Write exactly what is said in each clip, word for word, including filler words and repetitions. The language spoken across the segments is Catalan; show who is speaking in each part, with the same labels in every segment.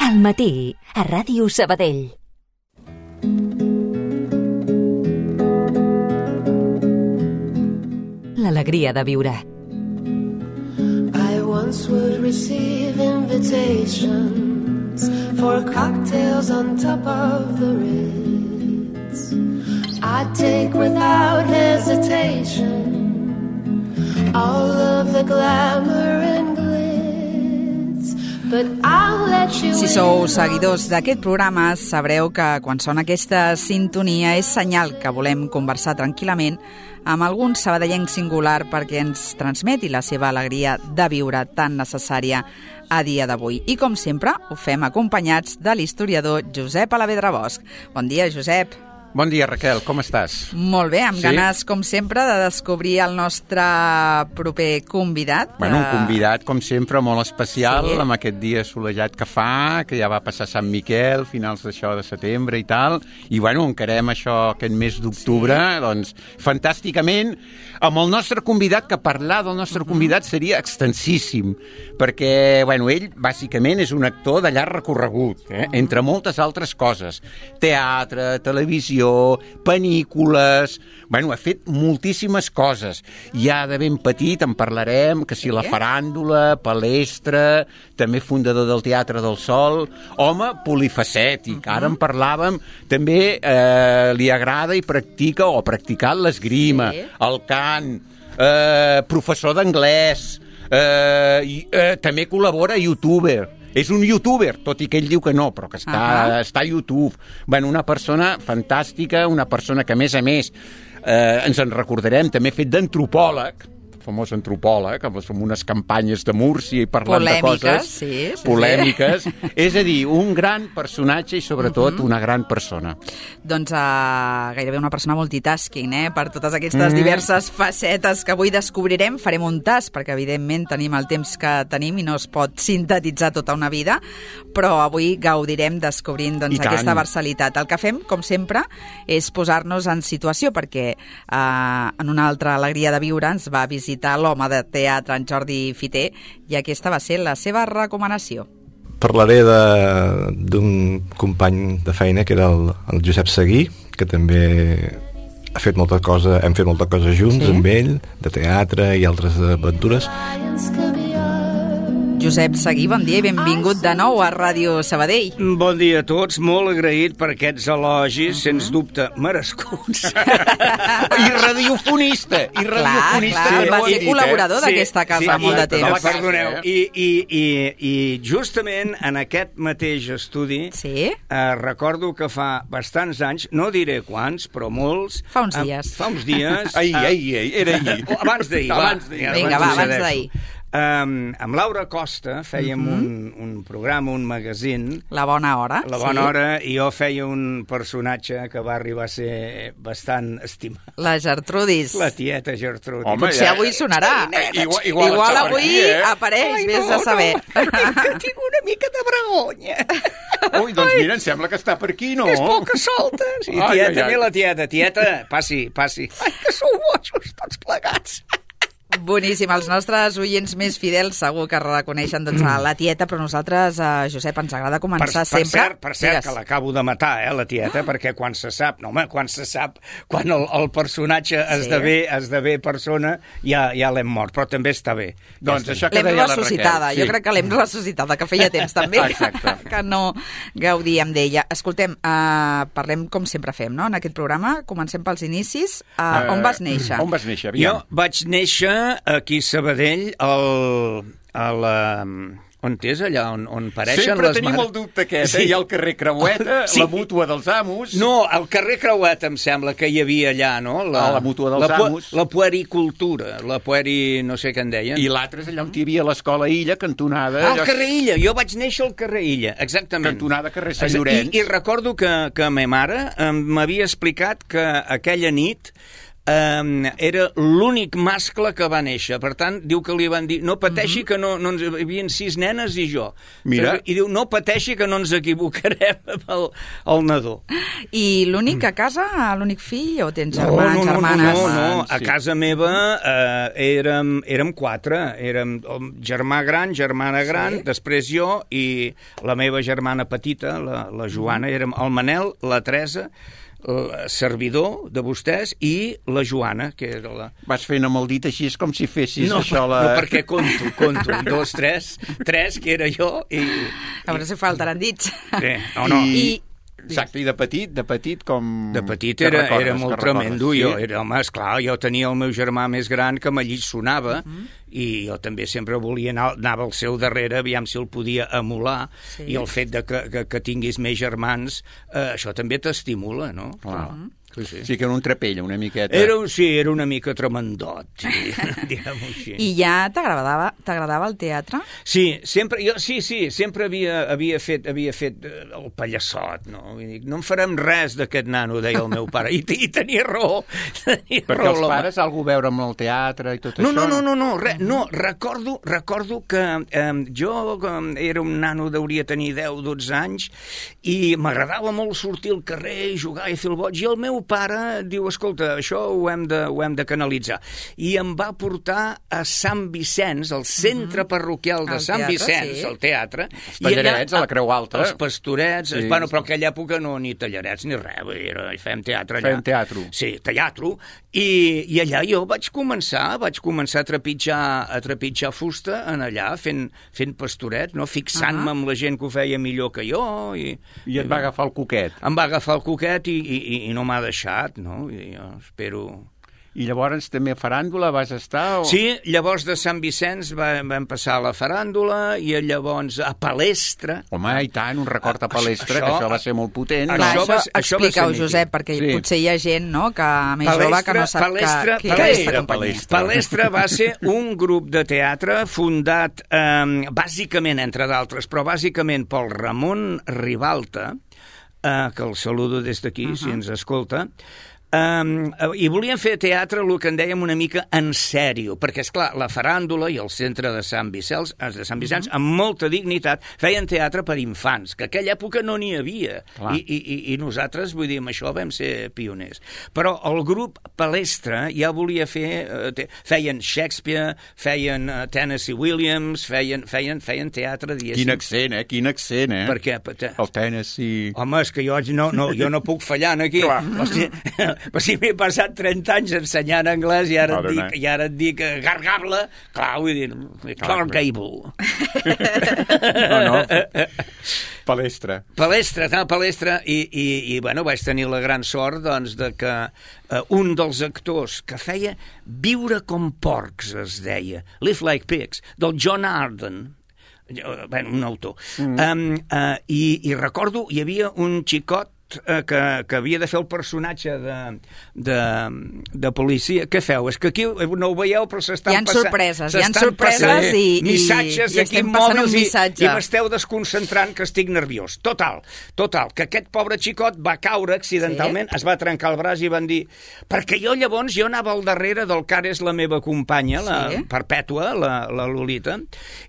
Speaker 1: Al matí, a Ràdio Sabadell. L'alegria de viure.
Speaker 2: I once would receive invitations for cocktails on top of the Ritz. I'd take without hesitation all of the glamour and glitz, but I'll let you
Speaker 3: Si sou seguidors d'aquest programa, sabreu que quan sona aquesta sintonia és senyal que volem conversar tranquil·lament amb algun sabadellenc singular perquè ens transmeti la seva alegria de viure tan necessària a dia d'avui. I com sempre, ho fem acompanyats de l'historiador Josep Alavedra Bosch. Bon dia, Josep.
Speaker 4: Bon dia, Raquel, com estàs?
Speaker 3: Molt bé, amb
Speaker 4: Sí?
Speaker 3: ganes, com sempre, de descobrir el nostre proper convidat.
Speaker 4: Bueno, un convidat, com sempre, molt especial,
Speaker 3: Sí.
Speaker 4: amb aquest dia assolellat que fa, que ja va passar Sant Miquel, finals d'això de setembre i tal, i bueno, encarem això aquest mes d'octubre, sí. doncs, fantàsticament, amb el nostre convidat, que parlar del nostre uh-huh. convidat seria extensíssim, perquè, bueno, ell, bàsicament, és un actor de llarg recorregut, eh? uh-huh. entre moltes altres coses. Teatre, televisió, pel·lícules... Bueno, ha fet moltíssimes coses. Ja de ben petit en parlarem, que si la faràndula, palestra, també fundador del Teatre del Sol, home polifacètic. Uh-huh. Ara en parlàvem, també eh, li agrada i practica, o ha practicat l'esgrima, sí. el cant, eh, professor d'anglès, eh, i, eh, també col·labora a YouTuber. És un youtuber, tot i que ell diu que no, però que està, uh-huh. està a YouTube. Bueno, una persona fantàstica, una persona que, a més a més, eh, ens en recordarem, també ha fet d'antropòleg, famós antropòleg, amb unes campanyes de Múrcia i parlant
Speaker 3: polèmiques,
Speaker 4: de coses
Speaker 3: sí, sí,
Speaker 4: polèmiques. Sí. És a dir, un gran personatge i, sobretot, uh-huh. una gran persona.
Speaker 3: Doncs uh, gairebé una persona multitasking, eh? Per totes aquestes mm. diverses facetes que avui descobrirem. Farem un tast, perquè evidentment tenim el temps que tenim i no es pot sintetitzar tota una vida, però avui gaudirem descobrint doncs, aquesta versalitat. El que fem, com sempre, és posar-nos en situació, perquè uh, en una altra alegria de viure ens va visitar l'home de teatre, en Jordi Fiter, i aquesta va ser la seva recomanació.
Speaker 5: Parlaré d'un company de feina, que era el, el Josep Seguí, que també ha fet molta cosa, hem fet molta cosa junts, sí? amb ell, de teatre i altres aventures.
Speaker 3: Josep Seguí, bon dia i benvingut de nou a Ràdio Sabadell.
Speaker 6: Bon dia a tots, molt agraït per aquests elogis, uh-huh. sens dubte, merescuts.
Speaker 4: I radiofonista, i radiofonista.
Speaker 3: Clar, clar, va ser
Speaker 4: dit,
Speaker 3: col·laborador
Speaker 4: eh?
Speaker 3: d'aquesta casa
Speaker 6: sí,
Speaker 3: molt de temps.
Speaker 6: No, perdoneu, i, i, i, i justament en aquest mateix estudi
Speaker 3: sí?
Speaker 6: eh, recordo que fa bastants anys, no diré quants, però molts...
Speaker 3: Fa uns dies.
Speaker 6: Eh, fa uns dies...
Speaker 4: ahir, ahir, ahir, era ahir.
Speaker 6: Abans d'ahir, va.
Speaker 4: Abans d'ahir.
Speaker 3: Vinga, va, abans d'ahir.
Speaker 6: Um, amb Laura Costa fèiem uh-huh. un, un programa, un magazín.
Speaker 3: La Bona Hora.
Speaker 6: La Bona
Speaker 3: sí.
Speaker 6: Hora, i jo feia un personatge que va arribar a ser bastant estimat.
Speaker 3: La Gertrudis.
Speaker 6: La tieta Gertrudis.
Speaker 4: Home,
Speaker 3: potser
Speaker 4: ja,
Speaker 3: avui sonarà.
Speaker 4: Eh, igual igual,
Speaker 3: igual avui
Speaker 4: aquí, eh?
Speaker 3: apareix,
Speaker 6: Ai,
Speaker 3: vés
Speaker 6: no,
Speaker 3: a saber.
Speaker 6: No, que tinc una mica de vergonya.
Speaker 4: Ui, doncs mira, em sembla que està per aquí, no?
Speaker 6: És poca solta. Sí,
Speaker 4: ai,
Speaker 6: tieta,
Speaker 4: ai, ai.
Speaker 6: la tieta. Tieta, passi, passi. Ai, que sou bojos tots plegats.
Speaker 3: Boníssim, els nostres oients més fidels segur que reconeixen doncs, a la tieta, però nosaltres, a Josep, ens agrada començar
Speaker 6: per, per
Speaker 3: sempre...
Speaker 6: Cert, per cert,
Speaker 3: Digues.
Speaker 6: que l'acabo de matar, eh, la tieta, perquè quan se sap, no home, quan se sap, quan el, el personatge sí. esdevé, esdevé persona, ja, ja l'hem mort, però també està bé.
Speaker 4: Doncs
Speaker 6: ja
Speaker 4: això que
Speaker 3: l'hem
Speaker 4: deia la
Speaker 3: ressuscitada,
Speaker 4: Raquel.
Speaker 3: jo crec que l'hem ressuscitada, que feia temps també
Speaker 4: Exacte.
Speaker 3: que no gaudíem d'ella. Escoltem, uh, parlem com sempre fem, no?, en aquest programa, comencem pels inicis. Uh, uh, on vas néixer?
Speaker 4: On vas néixer? Aviam.
Speaker 6: Jo vaig néixer aquí a Sabadell, al, a la... On és allà on, on pareixen
Speaker 4: Sempre
Speaker 6: les...
Speaker 4: tenim
Speaker 6: mar...
Speaker 4: el dubte aquest,
Speaker 6: sí.
Speaker 4: eh? Hi ha el carrer Creueta, sí. la mútua dels amos...
Speaker 6: No, el carrer Creueta em sembla que hi havia allà, no? La,
Speaker 4: ah, la mútua dels
Speaker 6: la,
Speaker 4: amos.
Speaker 6: La puericultura, la pueri... no sé què en deien.
Speaker 4: I l'altre és allà on hi havia l'escola Illa, cantonada...
Speaker 6: Ah, al carrer Illa, jo vaig néixer al carrer Illa, exactament.
Speaker 4: Cantonada carrer Sant Llorenç.
Speaker 6: I, i recordo que, que ma mare m'havia explicat que aquella nit eh, era l'únic mascle que va néixer. Per tant, diu que li van dir, no pateixi, mm-hmm. que no, no ens... Hi havia sis nenes i jo.
Speaker 4: Mira.
Speaker 6: I diu, no pateixi, que no ens equivocarem amb el, el nadó.
Speaker 3: I l'únic a casa, l'únic fill, o tens
Speaker 6: No,
Speaker 3: germans,
Speaker 6: no, no,
Speaker 3: germanes?
Speaker 6: no, no, a
Speaker 4: Sí.
Speaker 6: casa meva eh, érem, érem quatre, érem el germà gran, germana gran,
Speaker 3: Sí.
Speaker 6: després jo i la meva germana petita, la, la Joana, érem el Manel, la Teresa, el servidor de vostès i la Joana, que era la...
Speaker 4: Vas fent amb el dit així, és com si fessis
Speaker 6: No,
Speaker 4: això... La...
Speaker 6: no, perquè conto, conto, un, dos, tres, tres, que era jo, i...
Speaker 3: A veure si faltaran dits.
Speaker 6: Bé, no, no,
Speaker 4: I...
Speaker 3: I-
Speaker 4: Exacte, i de petit, de petit com...
Speaker 6: De petit
Speaker 4: que
Speaker 6: era,
Speaker 4: recordes,
Speaker 6: era
Speaker 4: que
Speaker 6: molt
Speaker 4: recordes,
Speaker 6: tremendo.
Speaker 4: sí?
Speaker 6: Jo, era, home, esclar, jo tenia el meu germà més gran que m'allí sonava uh -huh. i jo també sempre volia anar, anava al seu darrere, aviam si el podia emular,
Speaker 3: Sí.
Speaker 6: i el fet de que, que, que tinguis més germans, eh, això també t'estimula, no?
Speaker 4: Clar.
Speaker 6: Uh -huh. Sí, sí.
Speaker 4: Sí que era un trapella, una miqueta.
Speaker 6: Era, un- sí, era una mica tremendot, sí, diguem-ho així.
Speaker 3: I ja t'agradava t'agradava el teatre?
Speaker 6: Sí, sempre, jo, sí, sí, sempre havia, havia, fet, havia fet eh, el pallassot, no? Vull dir, no en farem res d'aquest nano, deia el meu pare, i, i tenia raó. Tenia
Speaker 4: Perquè
Speaker 6: raó,
Speaker 4: els
Speaker 6: l'home.
Speaker 4: pares algú veure amb el teatre i tot
Speaker 6: No,
Speaker 4: això...
Speaker 6: no, no, no, no, re, no, recordo, recordo que eh, jo eh, era un nano, deuria tenir deu, dotze anys, i m'agradava molt sortir al carrer, jugar i fer el boig, i el meu pare diu, escolta, això ho hem de, ho hem de canalitzar. I em va portar a Sant Vicenç, al centre parroquial de
Speaker 3: Al
Speaker 6: Sant
Speaker 3: teatre,
Speaker 6: Vicenç,
Speaker 3: sí.
Speaker 6: al teatre.
Speaker 4: Els tallarets, a la Creu Alta.
Speaker 6: Els pastorets,
Speaker 4: Sí.
Speaker 6: sí. Bueno, però en aquella època no, ni tallarets ni res, vull dir, era, fèiem teatre allà.
Speaker 4: Fèiem teatro.
Speaker 6: Sí, teatro, i, i allà jo vaig començar, vaig començar a trepitjar, a trepitjar fusta en allà, fent, fent pastoret, no? Fixant-me
Speaker 3: Ah.
Speaker 6: amb la gent que ho feia millor que jo, i...
Speaker 4: I et va agafar el coquet.
Speaker 6: Em va agafar el coquet i, i, i no m'ha deixat, no? I jo espero...
Speaker 4: I llavors també a faràndula vas estar? O...
Speaker 6: Sí, llavors de Sant Vicenç va, vam passar a la faràndula i llavors a Palestra.
Speaker 4: Home, i tant, un record a Palestra,
Speaker 6: Això-
Speaker 4: que això va ser molt potent.
Speaker 6: Això
Speaker 3: Clar,
Speaker 6: va
Speaker 3: això,
Speaker 6: ser- això va ser
Speaker 3: explica-ho,
Speaker 6: mític.
Speaker 3: Josep, perquè
Speaker 4: Sí.
Speaker 3: potser hi ha gent, no?, que més jove que no sap
Speaker 6: Palestra,
Speaker 3: que,
Speaker 6: Palestra,
Speaker 3: què és aquesta
Speaker 4: era
Speaker 3: companyia.
Speaker 4: Palestra.
Speaker 6: Palestra va ser un grup de teatre fundat eh, bàsicament, entre d'altres, però bàsicament pel Ramon Ribalta, eh, que el saludo des d'aquí, uh -huh. si ens escolta. Um, i volien fer teatre, el que en dèiem una mica en sèrio, perquè, és clar, la faràndula i el centre de Sant Vicenç, de Sant Vicenç, amb molta dignitat, feien teatre per infants, que a aquella època no n'hi havia. I, i, I nosaltres, vull dir, amb això vam ser pioners. Però el grup Palestra ja volia fer... Eh, te, feien Shakespeare, feien uh, Tennessee Williams, feien, feien, feien teatre, diguéssim.
Speaker 4: Quin accent, eh? Quin accent, eh?
Speaker 6: Per què? Per,
Speaker 4: El Tennessee...
Speaker 6: Home, és que jo no, no, jo no puc fallar aquí. Hosti, però si m'he passat trenta anys ensenyant anglès i ara, et
Speaker 4: Perdona.
Speaker 6: dic, i ara et dic eh, gargable, clar, vull dir, Clark Gable.
Speaker 4: No, no, Palestra.
Speaker 6: Palestra, tal, palestra, i, i, i bueno, vaig tenir la gran sort, doncs, de que eh, un dels actors que feia Viure com porcs, es deia, Live Like Pigs, del John Arden, bueno, un autor. Mm. Um, uh, i, I recordo, hi havia un xicot eh, que, que havia de fer el personatge de, de, de policia. Què feu? És que aquí no ho veieu, però s'estan
Speaker 3: Hi han
Speaker 6: passant...
Speaker 3: sorpreses, hi han
Speaker 6: s'estan
Speaker 3: sorpreses
Speaker 6: passant
Speaker 3: i- i-
Speaker 6: missatges
Speaker 3: i
Speaker 6: aquí
Speaker 3: estem passant
Speaker 6: mòbils
Speaker 3: un
Speaker 6: i,
Speaker 3: missatge.
Speaker 6: i m'esteu desconcentrant que estic nerviós. Total, total, que aquest pobre xicot va caure accidentalment, sí. Es va trencar el braç i van dir... Perquè jo llavors, jo anava al darrere del que ara és la meva companya, la
Speaker 3: Sí.
Speaker 6: Perpètua, la, la Lolita,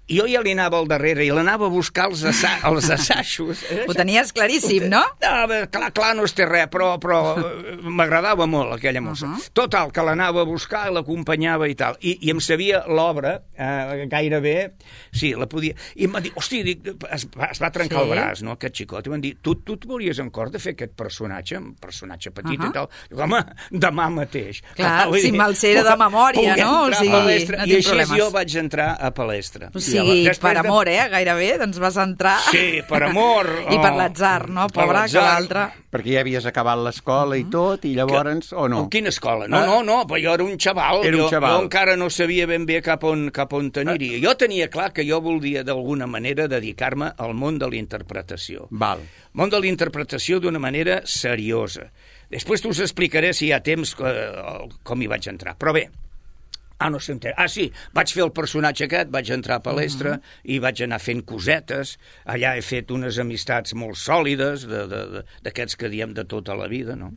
Speaker 6: i jo ja li anava al darrere i l'anava a buscar els, assa els assajos.
Speaker 3: Ho tenies claríssim, no?
Speaker 6: No, bé, clar, clar, no es té res, però, però eh, m'agradava molt aquella mossa.
Speaker 3: Uh -huh.
Speaker 6: Total, que l'anava a buscar, l'acompanyava i tal. I, i em sabia l'obra eh, gairebé... Sí, la podia... I em va dir, hosti, dic, es, va, es va trencar
Speaker 3: Sí.
Speaker 6: el braç, no?, aquest xicot. I van dir, tu, tu et veuries en cor de fer aquest personatge, un personatge petit
Speaker 3: Uh -huh.
Speaker 6: i tal? Dic, home, demà mateix.
Speaker 3: Clar,
Speaker 6: vull
Speaker 3: si
Speaker 6: dir,
Speaker 3: me'l sé de memòria,
Speaker 6: puc
Speaker 3: no? O
Speaker 6: entrar a
Speaker 3: sigui,
Speaker 6: Palestra.
Speaker 3: no
Speaker 6: I
Speaker 3: tinc
Speaker 6: així
Speaker 3: problemes.
Speaker 6: jo vaig entrar a Palestra.
Speaker 3: O sigui,
Speaker 6: Després
Speaker 3: per
Speaker 6: de-
Speaker 3: amor, eh, gairebé, doncs vas entrar...
Speaker 6: Sí, per amor.
Speaker 3: I per
Speaker 6: oh,
Speaker 3: l'atzar, no,
Speaker 6: per
Speaker 3: pobre, que
Speaker 6: l'atzar.
Speaker 3: l'altre...
Speaker 4: Perquè ja havies acabat l'escola i tot, i llavors... O no?
Speaker 6: En quina escola? No, no, no, però jo era un xaval.
Speaker 4: Era un
Speaker 6: jo,
Speaker 4: xaval.
Speaker 6: jo encara no sabia ben bé cap on, cap on t'aniria. Jo tenia clar que jo volia d'alguna manera dedicar-me al món de la interpretació.
Speaker 4: Val.
Speaker 6: Món de la interpretació d'una manera seriosa. Després t'us explicaré, si hi ha temps, eh, com hi vaig entrar. Però bé, ah, no sé on... Ah, sí, vaig fer el personatge aquest, vaig entrar a Palestra uh -huh. i vaig anar fent cosetes. Allà he fet unes amistats molt sòlides, d'aquests que diem de tota la vida, no?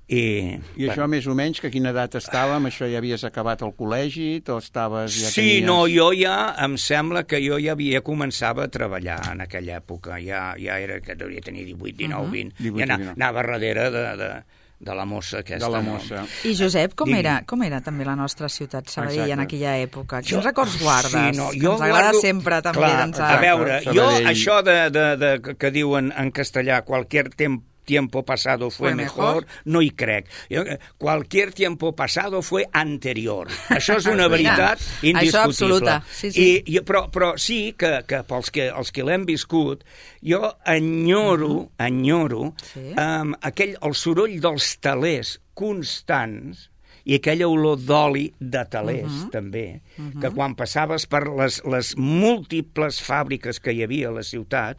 Speaker 6: I,
Speaker 4: I això més o menys, que a quina edat estàvem? Això ja havies acabat el col·legi? O estaves, ja
Speaker 6: sí,
Speaker 4: tenies...
Speaker 6: no, jo ja, em sembla que jo ja havia començava a treballar en aquella època. Ja, ja era, que devia tenir divuit, dinou, vint.
Speaker 4: divuit,
Speaker 6: I anava,
Speaker 4: dinou.
Speaker 6: anava darrere de, de, de la mossa aquesta.
Speaker 4: De la
Speaker 6: no?
Speaker 4: mossa.
Speaker 3: I Josep, com
Speaker 6: Digui.
Speaker 3: era, com era també la nostra ciutat Sabadell
Speaker 4: Exacte.
Speaker 3: en aquella època? Quins
Speaker 6: Jo-
Speaker 3: records guardes?
Speaker 6: Sí, no,
Speaker 3: que
Speaker 6: jo
Speaker 3: ens agrada
Speaker 6: guardo-
Speaker 3: sempre també.
Speaker 6: Clar,
Speaker 3: doncs,
Speaker 6: a veure, jo
Speaker 4: Sabadell.
Speaker 6: això de, de, de, que diuen en castellà qualquier temps tiempo pasado fue
Speaker 3: Fue
Speaker 6: mejor,
Speaker 3: mejor.
Speaker 6: no hi crec. Jo, eh, cualquier tiempo pasado fue anterior. Això és una
Speaker 3: Mira,
Speaker 6: veritat
Speaker 3: això
Speaker 6: indiscutible.
Speaker 3: absoluta, sí, sí.
Speaker 6: I, i, però, però sí que, que pels que, els que l'hem viscut, jo enyoro, uh -huh. enyoro
Speaker 3: Sí.
Speaker 6: um, aquell, el soroll dels telers constants i aquella olor d'oli de telers, uh -huh. també, uh -huh. que quan passaves per les, les múltiples fàbriques que hi havia a la ciutat,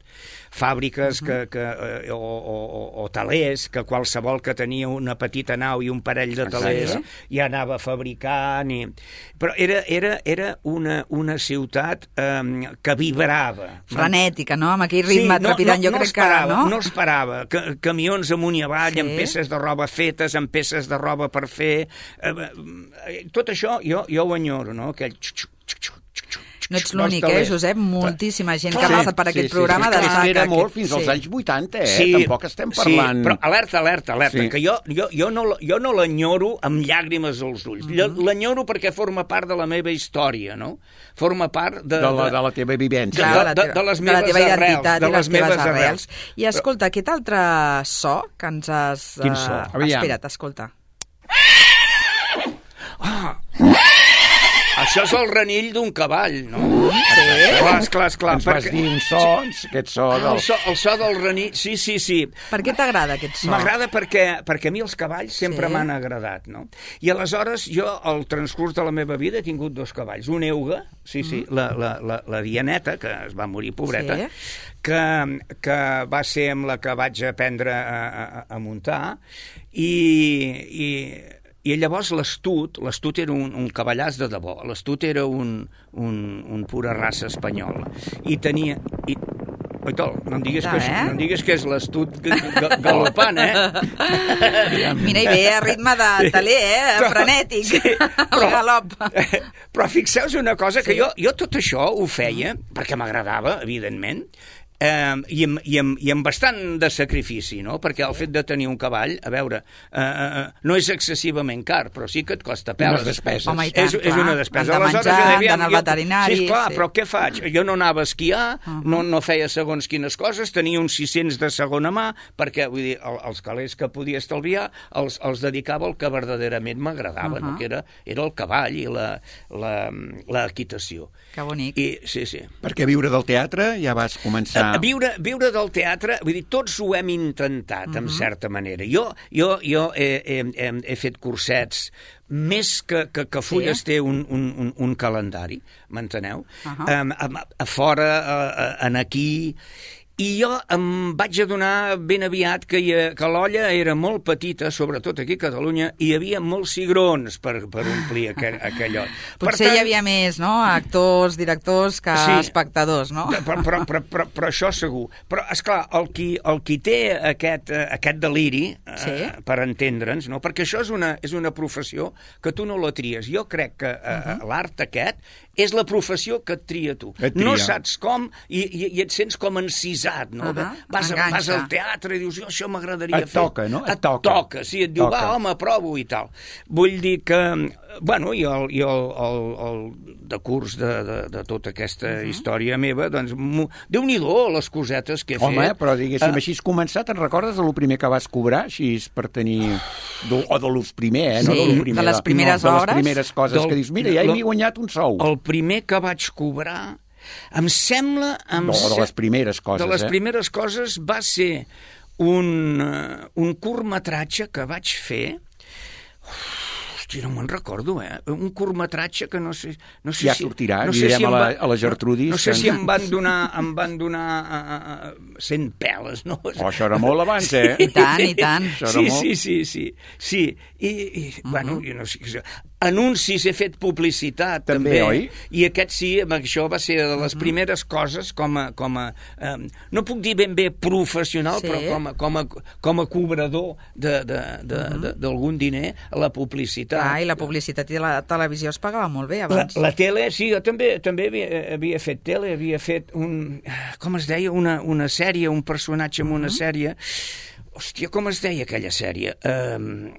Speaker 6: fàbriques uh -huh. que, que, eh, o, o, o talers, que qualsevol que tenia una petita nau i un parell de talers
Speaker 4: Exacte.
Speaker 6: ja anava fabricant. I... Però era, era, era una, una ciutat eh, que vibrava.
Speaker 3: Frenètica, no? Amb aquell ritme
Speaker 6: no,
Speaker 3: trepidant,
Speaker 6: no,
Speaker 3: jo
Speaker 6: no
Speaker 3: crec
Speaker 6: esperava,
Speaker 3: que... No,
Speaker 6: no esperava. Que, camions amunt i avall,
Speaker 3: Sí.
Speaker 6: amb peces de roba fetes, amb peces de roba per fer... Eh, eh, tot això jo, jo ho enyoro, no? Aquell...
Speaker 3: No ets l'únic, eh, Josep? Moltíssima gent que ha
Speaker 6: Sí,
Speaker 3: passat per aquest programa
Speaker 4: sí, sí,
Speaker 3: destaca
Speaker 4: era molt
Speaker 3: aquest-
Speaker 4: fins als
Speaker 3: sí.
Speaker 4: anys vuitanta, eh?
Speaker 6: Sí,
Speaker 4: Tampoc estem parlant...
Speaker 6: Sí, però alerta, alerta, alerta,
Speaker 4: Sí.
Speaker 6: que jo, jo, jo no, jo no l'enyoro amb llàgrimes als ulls.
Speaker 3: Mhm.
Speaker 6: Mm -hmm. L'enyoro perquè forma part de la meva història, no? Forma part de...
Speaker 4: De la, de la teva vivència.
Speaker 3: Clar,
Speaker 6: de-
Speaker 3: de, la
Speaker 6: de-
Speaker 3: teva,
Speaker 6: de les
Speaker 3: de la
Speaker 6: meves
Speaker 3: teva
Speaker 6: arrels,
Speaker 3: identitat
Speaker 6: de
Speaker 3: i les
Speaker 6: les meves
Speaker 3: teves arrels.
Speaker 6: arrels.
Speaker 3: I escolta, aquest altre so que ens has...
Speaker 6: Quin so?
Speaker 3: eh,
Speaker 4: Aviam.
Speaker 3: Espera't, escolta.
Speaker 6: Això és el renill d'un cavall, no? Sí. Clar, esclar, esclar.
Speaker 4: Ens vas dir un so, aquest so
Speaker 6: Ah,
Speaker 4: del...
Speaker 6: el, so, el so del renill, sí, sí, sí.
Speaker 3: Per què t'agrada aquest so?
Speaker 6: M'agrada perquè, perquè a mi els cavalls sempre
Speaker 3: Sí.
Speaker 6: m'han agradat, no? I aleshores jo, al transcurs de la meva vida, he tingut dos cavalls. Un euga, sí, sí, mm. la, la, la, la Dianeta, que es va morir, pobreta,
Speaker 3: Sí.
Speaker 6: que, que va ser amb la que vaig aprendre a, a, a muntar, i... i I llavors l'Estut, l'Estut era un, un cavallàs de debò, l'Estut era un, un, un pura raça espanyola. I tenia... I, Oitol, no em diguis,
Speaker 3: Ja,
Speaker 6: que,
Speaker 3: eh?
Speaker 6: no em diguis que és l'Estut galopant, eh?
Speaker 3: Mira, i ve a ritme de taler, eh? Frenètic.
Speaker 6: Sí,
Speaker 3: El galop.
Speaker 6: Però fixeu-vos una cosa, que
Speaker 3: Sí.
Speaker 6: jo, jo tot això ho feia, perquè m'agradava, evidentment, eh, i, amb, i, amb, i amb bastant de sacrifici, no? Perquè el fet de tenir un cavall, a veure, eh, eh, no és excessivament car, però sí que et costa peles.
Speaker 4: Unes despeses.
Speaker 3: Home, i tant,
Speaker 6: és, és
Speaker 3: clar.
Speaker 6: una despesa.
Speaker 3: Han de
Speaker 6: Aleshores,
Speaker 3: menjar,
Speaker 6: jo deia,
Speaker 3: han d'anar al
Speaker 6: jo-
Speaker 3: veterinari,
Speaker 6: Sí, esclar,
Speaker 3: sí.
Speaker 6: però què faig? Jo no anava a esquiar,
Speaker 3: Uh -huh.
Speaker 6: no, no feia segons quines coses, tenia uns sis-cents de segona mà, perquè, vull dir, el, els calés que podia estalviar els, els dedicava al que verdaderament m'agradava,
Speaker 3: Uh -huh.
Speaker 6: no? Que era, era el cavall i la, la, la equitació.
Speaker 3: Que bonic.
Speaker 6: I, sí, sí.
Speaker 4: Perquè viure del teatre ja vas començar...
Speaker 6: A viure, viure del teatre, vull dir, tots ho hem intentat, uh -huh. en certa manera. Jo, jo, jo he, he, he, he fet cursets, més que, que, que fulles
Speaker 3: Sí.
Speaker 6: té un, un, un, un calendari, m'enteneu?
Speaker 3: Uh -huh.
Speaker 6: um, a, a fora, a, a, en aquí... I jo em vaig adonar ben aviat que, hi, que l'olla era molt petita, sobretot aquí a Catalunya, i hi havia molts cigrons per, per omplir aquell, aquell ot.
Speaker 3: Potser tant... hi havia més, no?, actors, directors, que
Speaker 6: Sí.
Speaker 3: espectadors, no?
Speaker 6: Però, però, però, però, però això segur. Però, esclar, el qui, el qui té aquest, eh, aquest deliri, eh,
Speaker 3: Sí.
Speaker 6: per entendre'ns, no? Perquè això és una, és una professió que tu no la tries. Jo crec que eh, uh -huh. l'art aquest és la professió que et tria tu.
Speaker 4: Et tria.
Speaker 6: No saps com i, i, i et sents com encisat, no?
Speaker 3: Uh -huh.
Speaker 6: vas, a,
Speaker 3: Enganxa.
Speaker 6: vas al teatre i dius, jo això m'agradaria
Speaker 4: Et
Speaker 6: fer.
Speaker 4: toca, no? Et
Speaker 6: Et
Speaker 4: toca.
Speaker 6: toca, sí, et diu,
Speaker 4: Toca.
Speaker 6: va, home, provo i tal. Vull dir que, bueno, i el, i el, el, el decurs de, de, de tota aquesta uh -huh. història meva, doncs, Déu-n'hi-do les cosetes que he
Speaker 4: Home,
Speaker 6: fet.
Speaker 4: però diguéssim,
Speaker 6: Eh,
Speaker 4: així has començat, te'n recordes de lo primer que vas cobrar, així per tenir... Do, o de los primer, eh? No
Speaker 3: Sí,
Speaker 4: de, lo primer,
Speaker 3: de les primeres
Speaker 4: no, de les
Speaker 3: hores.
Speaker 4: primeres coses
Speaker 6: Del-
Speaker 4: que dius, mira, ja
Speaker 6: del-
Speaker 4: m'he guanyat un sou.
Speaker 6: El primer que vaig cobrar, em sembla... Em
Speaker 4: No, de
Speaker 6: se-
Speaker 4: les primeres coses,
Speaker 6: De les
Speaker 4: eh?
Speaker 6: primeres coses va ser un, uh, un curtmetratge que vaig fer... Hosti, no me'n recordo, eh? Un curtmetratge que no sé... No sé
Speaker 4: Ja
Speaker 6: si,
Speaker 4: sortirà,
Speaker 6: no
Speaker 4: li
Speaker 6: sé
Speaker 4: direm
Speaker 6: si em
Speaker 4: a la-
Speaker 6: va-
Speaker 4: a la Gertrudis
Speaker 6: No, no sé
Speaker 4: que-
Speaker 6: si em van donar, em van donar uh, uh, cent peles, no?
Speaker 4: Oh, això era molt abans, eh?
Speaker 3: I tant, i tant.
Speaker 4: Això era
Speaker 6: Sí,
Speaker 4: molt-
Speaker 6: sí, sí, sí, sí. I, i uh -huh. bueno, jo no sé... anuncis, he fet publicitat,
Speaker 4: també,
Speaker 6: també,
Speaker 4: oi?
Speaker 6: I aquest sí, això va ser de les primeres coses com a... Com a eh, no puc dir ben bé professional,
Speaker 3: Sí.
Speaker 6: però com a, com a, com a cobrador d'algun diner a la publicitat.
Speaker 3: Clar, i la publicitat i la televisió es pagava molt bé
Speaker 6: La,
Speaker 3: abans.
Speaker 6: la tele, sí, jo també també havia, havia fet tele, havia fet un... Com es deia? Una, una sèrie, un personatge en una sèrie... Hòstia, com es deia aquella sèrie? Um,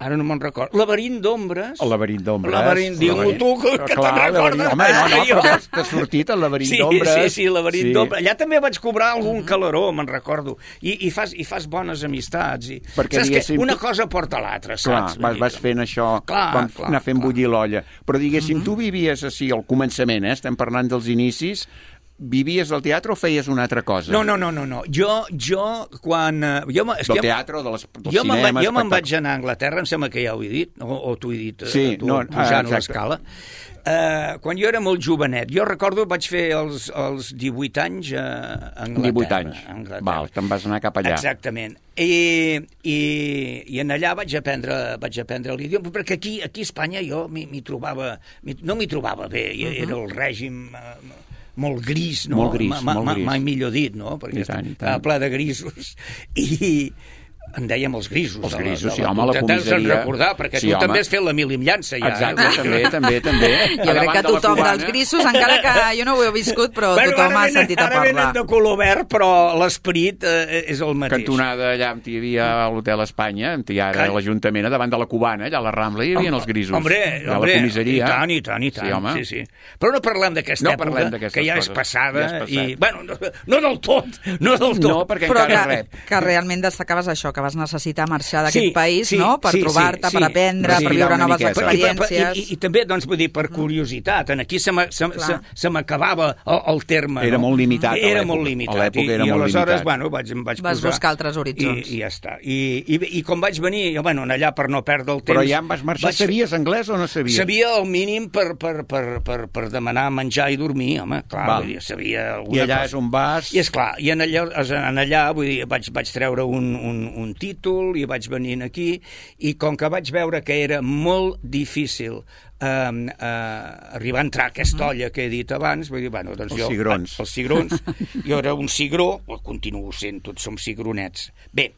Speaker 6: ara no me'n record. Laberint d'ombres.
Speaker 4: El laberint d'ombres.
Speaker 6: Laberint, digue-ho tu, que, que
Speaker 4: Clar,
Speaker 6: te'n recordes.
Speaker 4: Home, no, no,
Speaker 6: Jo-
Speaker 4: però t'ha sortit el laberint
Speaker 6: Sí,
Speaker 4: d'ombres.
Speaker 6: sí, sí, laberint d'ombres. Allà també vaig cobrar algun calaró, me'n recordo. I, i, fas, I fas bones amistats. I...
Speaker 4: Perquè,
Speaker 6: Saps que
Speaker 4: diguéssim,
Speaker 6: una
Speaker 4: tu-
Speaker 6: cosa porta a l'altra,
Speaker 4: Clar,
Speaker 6: saps?
Speaker 4: vas, vas fent això,
Speaker 6: Clar,
Speaker 4: quan
Speaker 6: clar,
Speaker 4: anar fent
Speaker 6: clar.
Speaker 4: bullir l'olla. Però diguéssim, tu vivies així al començament, eh? Estem parlant dels inicis, vivies del teatre o feies una altra cosa?
Speaker 6: No, no, no, no, no. Jo, jo quan... eh, Jo, m- és
Speaker 4: Del
Speaker 6: que
Speaker 4: teatre o de les, del
Speaker 6: jo me'n
Speaker 4: cinema?
Speaker 6: va, jo me'n vaig
Speaker 4: espectacle-
Speaker 6: anar a Anglaterra, em sembla que ja ho he dit, o, o t'ho he dit, eh,
Speaker 4: Sí,
Speaker 6: tu,
Speaker 4: no,
Speaker 6: pujant
Speaker 4: ah,
Speaker 6: a l'escala. Uh, quan jo era molt jovenet, jo recordo vaig fer els, els divuit anys a Anglaterra.
Speaker 4: divuit anys.
Speaker 6: a Anglaterra.
Speaker 4: Val, te'n vas anar cap allà.
Speaker 6: Exactament. I, i, i en allà vaig aprendre, vaig aprendre l'idioma, perquè aquí, aquí a Espanya jo m'hi m'hi trobava, m'hi- no m'hi trobava bé, uh -huh. Era el règim... Uh, molt gris, no?
Speaker 4: Molt gris,
Speaker 6: Ma- ma-
Speaker 4: molt gris.
Speaker 6: Mai millor dit, no? Perquè
Speaker 4: I tant, i tant.
Speaker 6: estava ple de grisos. I en dèiem els grisos.
Speaker 4: Els
Speaker 6: de la-
Speaker 4: grisos,
Speaker 6: de
Speaker 4: sí, home, la
Speaker 6: Te'n deus
Speaker 4: comissaria.
Speaker 6: recordar, perquè
Speaker 4: Sí,
Speaker 6: tu
Speaker 4: home.
Speaker 6: també has fet la milimllança, ja.
Speaker 4: Exacte,
Speaker 6: eh?
Speaker 4: també, també, també.
Speaker 3: Jo crec que tothom dels grisos, encara que jo no ho he viscut, però tothom
Speaker 6: ara
Speaker 3: ha
Speaker 6: venen-
Speaker 3: sentit a
Speaker 6: Ara venen
Speaker 3: parlar.
Speaker 6: de color verd, però l'esperit eh, és el mateix.
Speaker 4: Cantonada allà on hi havia a l'Hotel Espanya, on hi ha ara
Speaker 6: Can-
Speaker 4: l'Ajuntament, a davant de la Cubana, allà a la Rambla, hi havia els grisos.
Speaker 6: Hombre,
Speaker 4: Allà a
Speaker 6: hombre,
Speaker 4: la comissaria.
Speaker 6: i tant, i tant, i tant.
Speaker 4: Sí, home.
Speaker 6: Sí, sí. Però no parlem d'aquesta
Speaker 4: No
Speaker 6: època,
Speaker 4: parlem d'aquestes
Speaker 6: que ja és
Speaker 4: coses.
Speaker 6: passada,
Speaker 4: Ja és passat.
Speaker 6: i, bueno, no, no del tot, no del tot.
Speaker 4: No, perquè
Speaker 3: Però
Speaker 4: encara
Speaker 3: que,
Speaker 4: rep.
Speaker 3: que realment destacaves això, que vas necessitar marxar d'aquest
Speaker 6: Sí,
Speaker 3: país,
Speaker 6: sí,
Speaker 3: no?, per
Speaker 6: sí,
Speaker 3: trobar-te,
Speaker 6: sí,
Speaker 3: per
Speaker 6: sí.
Speaker 3: aprendre,
Speaker 4: Respirar
Speaker 3: per viure
Speaker 4: una
Speaker 3: noves
Speaker 4: miqueta.
Speaker 3: experiències.
Speaker 6: I, i, I també, doncs, vull dir, per curiositat, en aquí se m'a- se, se,
Speaker 3: Clar.
Speaker 6: se m'acabava el, el terme.
Speaker 4: Era
Speaker 6: no?
Speaker 4: molt limitat a
Speaker 6: Era
Speaker 4: l'època.
Speaker 6: molt
Speaker 4: A
Speaker 6: limitat.
Speaker 4: l'època era
Speaker 6: I, i
Speaker 4: molt
Speaker 6: aleshores,
Speaker 4: limitat.
Speaker 6: bueno, vaig, em vaig
Speaker 3: Vas
Speaker 6: posar...
Speaker 3: buscar altres horitzons.
Speaker 6: I, i ja està. I, i, I com vaig venir, jo, bueno, allà per no perdre el temps...
Speaker 4: Però ja en vas marxar,
Speaker 6: vaig-
Speaker 4: sabies anglès o no sabies?
Speaker 6: Sabia el mínim per, per, per, per, per demanar menjar i dormir, home, clar,
Speaker 4: Val.
Speaker 6: vull dir, sabia alguna
Speaker 4: I allà
Speaker 6: cosa.
Speaker 4: és on vas...
Speaker 6: I és clar, i en allà, en allà vull dir, vaig, vaig treure un, un, un títol i vaig venir aquí, i com que vaig veure que era molt difícil eh, eh, arribar a entrar a aquesta olla que he dit abans, vull dir, bueno, doncs
Speaker 4: Els
Speaker 6: jo...
Speaker 4: cigrons.
Speaker 6: Els cigrons. Jo era un cigró, o continuo sent, tots som cigronets. Bé,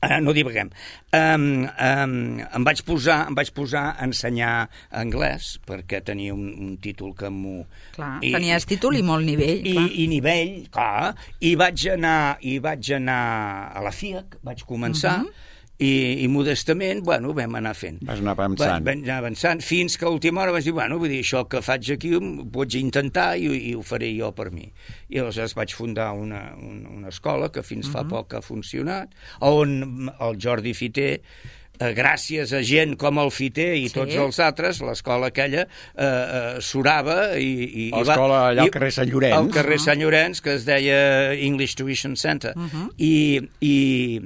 Speaker 6: Uh, no divaguem. Um, um, em vaig posar em vaig posar a ensenyar anglès perquè tenia un, un títol que m'ho...
Speaker 3: Clar, tenies títol i molt nivell.
Speaker 6: I,
Speaker 3: clar.
Speaker 6: i nivell, clar. I vaig anar, i vaig anar a la FIAC, vaig començar, uh -huh. i, i modestament, bueno, vam anar fent.
Speaker 4: Vas anar avançant.
Speaker 6: Va, vam anar avançant, fins que a última hora vaig dir, bueno, vull dir, això que faig aquí ho pots intentar i, i ho faré jo per mi. I aleshores vaig fundar una, una, una escola que fins uh -huh. fa poc ha funcionat, on el Jordi Fiter, eh, gràcies a gent com el Fiter i
Speaker 3: Sí.
Speaker 6: tots els altres, l'escola aquella eh, eh, surava i... i i va-
Speaker 4: L'escola allà al
Speaker 6: i-
Speaker 4: carrer Sant Llorenç.
Speaker 6: Al carrer Sant Llorenç, que es deia English Tuition Center. Uh -huh. I... i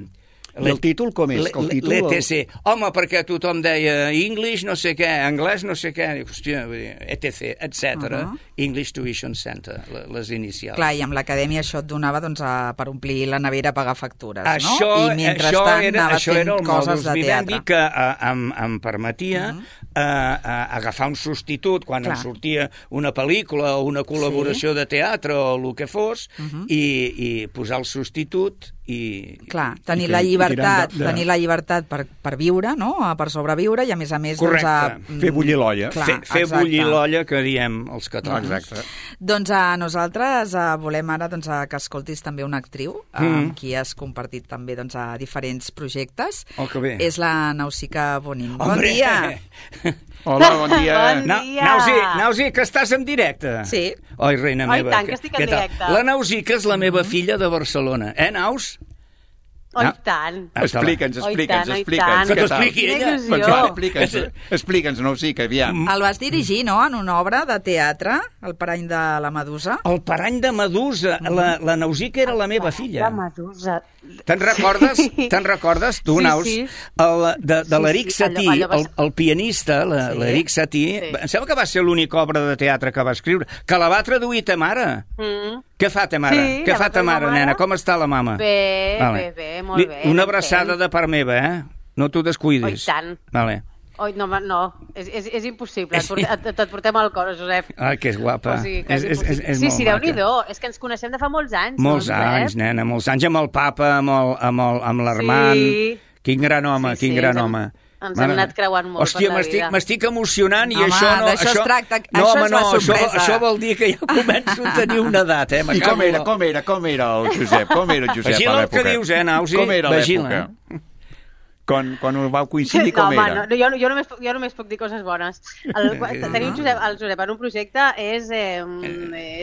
Speaker 4: I el títol com és? Que el títol-
Speaker 6: L'E T C. Home, perquè tothom deia English no sé què, anglès no sé què, dic, hòstia, vull dir, E T C, etcètera.
Speaker 3: Uh-huh.
Speaker 6: English Tuition Center, les inicials.
Speaker 3: Clar, i amb l'acadèmia això et donava doncs, a, per omplir la nevera a pagar factures,
Speaker 6: Això,
Speaker 3: no? I mentrestant
Speaker 6: això era,
Speaker 3: anaves
Speaker 6: això
Speaker 3: fent
Speaker 6: era el
Speaker 3: coses
Speaker 6: modus
Speaker 3: de
Speaker 6: vivendi
Speaker 3: teatre.
Speaker 6: que uh, em, em permetia uh -huh. uh, uh, agafar un substitut quan
Speaker 3: Clar.
Speaker 6: em sortia una pel·lícula o una col·laboració sí. de teatre o el que fos uh -huh. i, i posar el substitut i...
Speaker 3: Clar, tenir
Speaker 4: I
Speaker 3: la
Speaker 4: fer- i
Speaker 3: llibertat,
Speaker 4: tirant de- de-
Speaker 3: tenir la llibertat per, per viure, no?, per sobreviure, i a més a més...
Speaker 6: Correcte.
Speaker 3: Doncs, a,
Speaker 4: Fer bullir l'olla.
Speaker 3: Clar,
Speaker 6: fer fer
Speaker 3: exacte.
Speaker 6: bullir l'olla que diem els catalans.
Speaker 4: Exacte.
Speaker 3: Doncs a nosaltres a, volem ara doncs, a, que escoltis també una actriu mm. amb qui has compartit també doncs, a diferents projectes.
Speaker 6: Oh, que bé.
Speaker 3: És la Nausica Bonin. Bon
Speaker 6: Hombre!
Speaker 3: dia!
Speaker 4: Hola, bon dia.
Speaker 7: Bon
Speaker 6: Na
Speaker 7: dia.
Speaker 6: Nausi, Nausi, que estàs en directe.
Speaker 3: Sí.
Speaker 6: Oi, reina
Speaker 7: Oi,
Speaker 6: meva.
Speaker 7: tant, que estic en
Speaker 6: què tal?
Speaker 7: directe.
Speaker 6: La Nausica és la meva filla de Barcelona. Eh, Naus?
Speaker 7: Oi,
Speaker 6: Ah.
Speaker 7: tant.
Speaker 4: Explica'ns,
Speaker 7: Oi,
Speaker 4: explica'ns,
Speaker 7: tant, oi,
Speaker 4: explica'ns.
Speaker 7: tant.
Speaker 6: Que
Speaker 4: què tal?
Speaker 6: t'expliqui
Speaker 7: Quina
Speaker 6: ella.
Speaker 7: il·lusió.
Speaker 4: Doncs va, explica'ns, explica'ns, no, sí, que aviam.
Speaker 3: El vas dirigir, no?, en una obra de teatre, El parany de la Medusa.
Speaker 6: El parany de Medusa. La, la Nausica era la meva filla.
Speaker 7: La Medusa.
Speaker 6: Te'n recordes?
Speaker 7: Sí.
Speaker 6: Te'n recordes, tu,
Speaker 7: Sí,
Speaker 6: Naus?
Speaker 7: sí.
Speaker 6: El, de de
Speaker 7: Sí,
Speaker 6: l'Eric
Speaker 7: sí, allò-
Speaker 6: Satie,
Speaker 7: allò va
Speaker 6: el,
Speaker 7: ser-
Speaker 6: el pianista, la-
Speaker 3: Sí.
Speaker 6: l'Eric Satie,
Speaker 7: Sí.
Speaker 6: em sembla que va ser l'única obra de teatre que va escriure, que la va traduir ta mare.
Speaker 7: Mm.
Speaker 6: Què fa ta mare?
Speaker 7: Sí,
Speaker 6: Què
Speaker 7: la
Speaker 6: fa
Speaker 7: va
Speaker 6: ta
Speaker 7: fer ma
Speaker 6: mare,
Speaker 7: mare.
Speaker 6: nena? Com està la mama?
Speaker 7: Bé,
Speaker 6: Vale.
Speaker 7: bé, bé, molt
Speaker 6: Li-
Speaker 7: bé.
Speaker 6: Una
Speaker 7: ben
Speaker 6: abraçada
Speaker 7: fent.
Speaker 6: de part meva, eh? No t'ho descuidis.
Speaker 7: Oi, tant.
Speaker 6: Vale.
Speaker 7: Oi, no, no, és, és, és impossible. Et, portem, et, et portem al cor, Josep.
Speaker 6: Ai, que és guapa.
Speaker 7: O sigui, que
Speaker 6: és,
Speaker 7: és,
Speaker 6: és, és, és
Speaker 7: sí,
Speaker 6: molt
Speaker 7: sí,
Speaker 6: maca.
Speaker 7: Déu-n'hi-do. És que ens coneixem de fa molts anys.
Speaker 6: Molts
Speaker 7: no,
Speaker 6: anys, nena, molts anys, amb el papa, amb el- amb el- amb l'Armand.
Speaker 7: Sí.
Speaker 6: Quin gran home,
Speaker 7: Sí,
Speaker 6: quin
Speaker 7: sí,
Speaker 6: gran
Speaker 7: ens hem-
Speaker 6: home.
Speaker 7: ens hem anat creuant molt
Speaker 6: Hòstia,
Speaker 7: per la
Speaker 6: m'estic,
Speaker 7: vida.
Speaker 6: m'estic emocionant i
Speaker 3: Home,
Speaker 6: això no...
Speaker 3: d'això es tracta,
Speaker 6: no,
Speaker 3: això
Speaker 6: home,
Speaker 3: és la
Speaker 6: no, això,
Speaker 3: sorpresa.
Speaker 6: això vol dir que ja començo a tenir una edat, eh?
Speaker 4: I com era, com era, com era el Josep? Com era el Josep
Speaker 6: Vigila
Speaker 4: a
Speaker 6: el que
Speaker 4: l'època?
Speaker 6: dius, eh, Nausi?
Speaker 4: Com era
Speaker 6: Vigila.
Speaker 4: l'època? Quan, quan ho vau coincidir,
Speaker 7: No,
Speaker 4: com
Speaker 7: home,
Speaker 4: era?
Speaker 7: no, jo, jo, només, puc- jo només puc dir coses bones. El, tenir un Josep, el Josep en un projecte és, eh,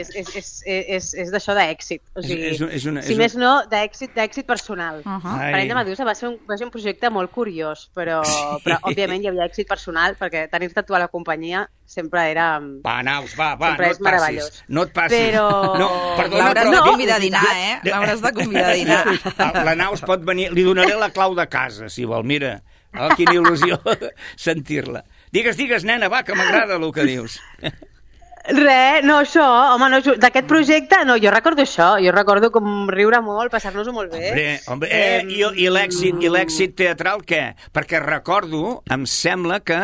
Speaker 7: és, és, és, és, és d'això d'èxit. O sigui,
Speaker 6: És- és un- és una-
Speaker 7: si
Speaker 6: és un-
Speaker 7: més no, d'èxit d'èxit personal.
Speaker 3: Uh -huh.
Speaker 6: Ai.
Speaker 7: Parell de Medusa va ser, un, va ser un projecte molt curiós, però, però òbviament hi havia èxit personal, perquè tenir-te tu a la companyia sempre era...
Speaker 6: Va, Naus, va, va,
Speaker 7: Sempre
Speaker 6: no
Speaker 7: és
Speaker 6: et passis.
Speaker 7: meravellós.
Speaker 6: No et passis.
Speaker 7: Però-
Speaker 6: No, perdona,
Speaker 3: L'hauràs
Speaker 6: però...
Speaker 3: de
Speaker 7: no.
Speaker 3: convidar a dinar, eh? L'hauràs de convidar a dinar.
Speaker 6: La, la Naus pot venir... Li donaré la clau de casa, si vol. Mira, oh, quina il·lusió sentir-la. Digues, digues, nena, va, que m'agrada el que dius.
Speaker 7: Res, no, això, home, no, d'aquest projecte, no, jo recordo això, jo recordo com riure molt, passar-nos-ho molt bé.
Speaker 6: Hombre, hombre, eh, i, i l'èxit i l'èxit teatral, què? Perquè recordo, em sembla que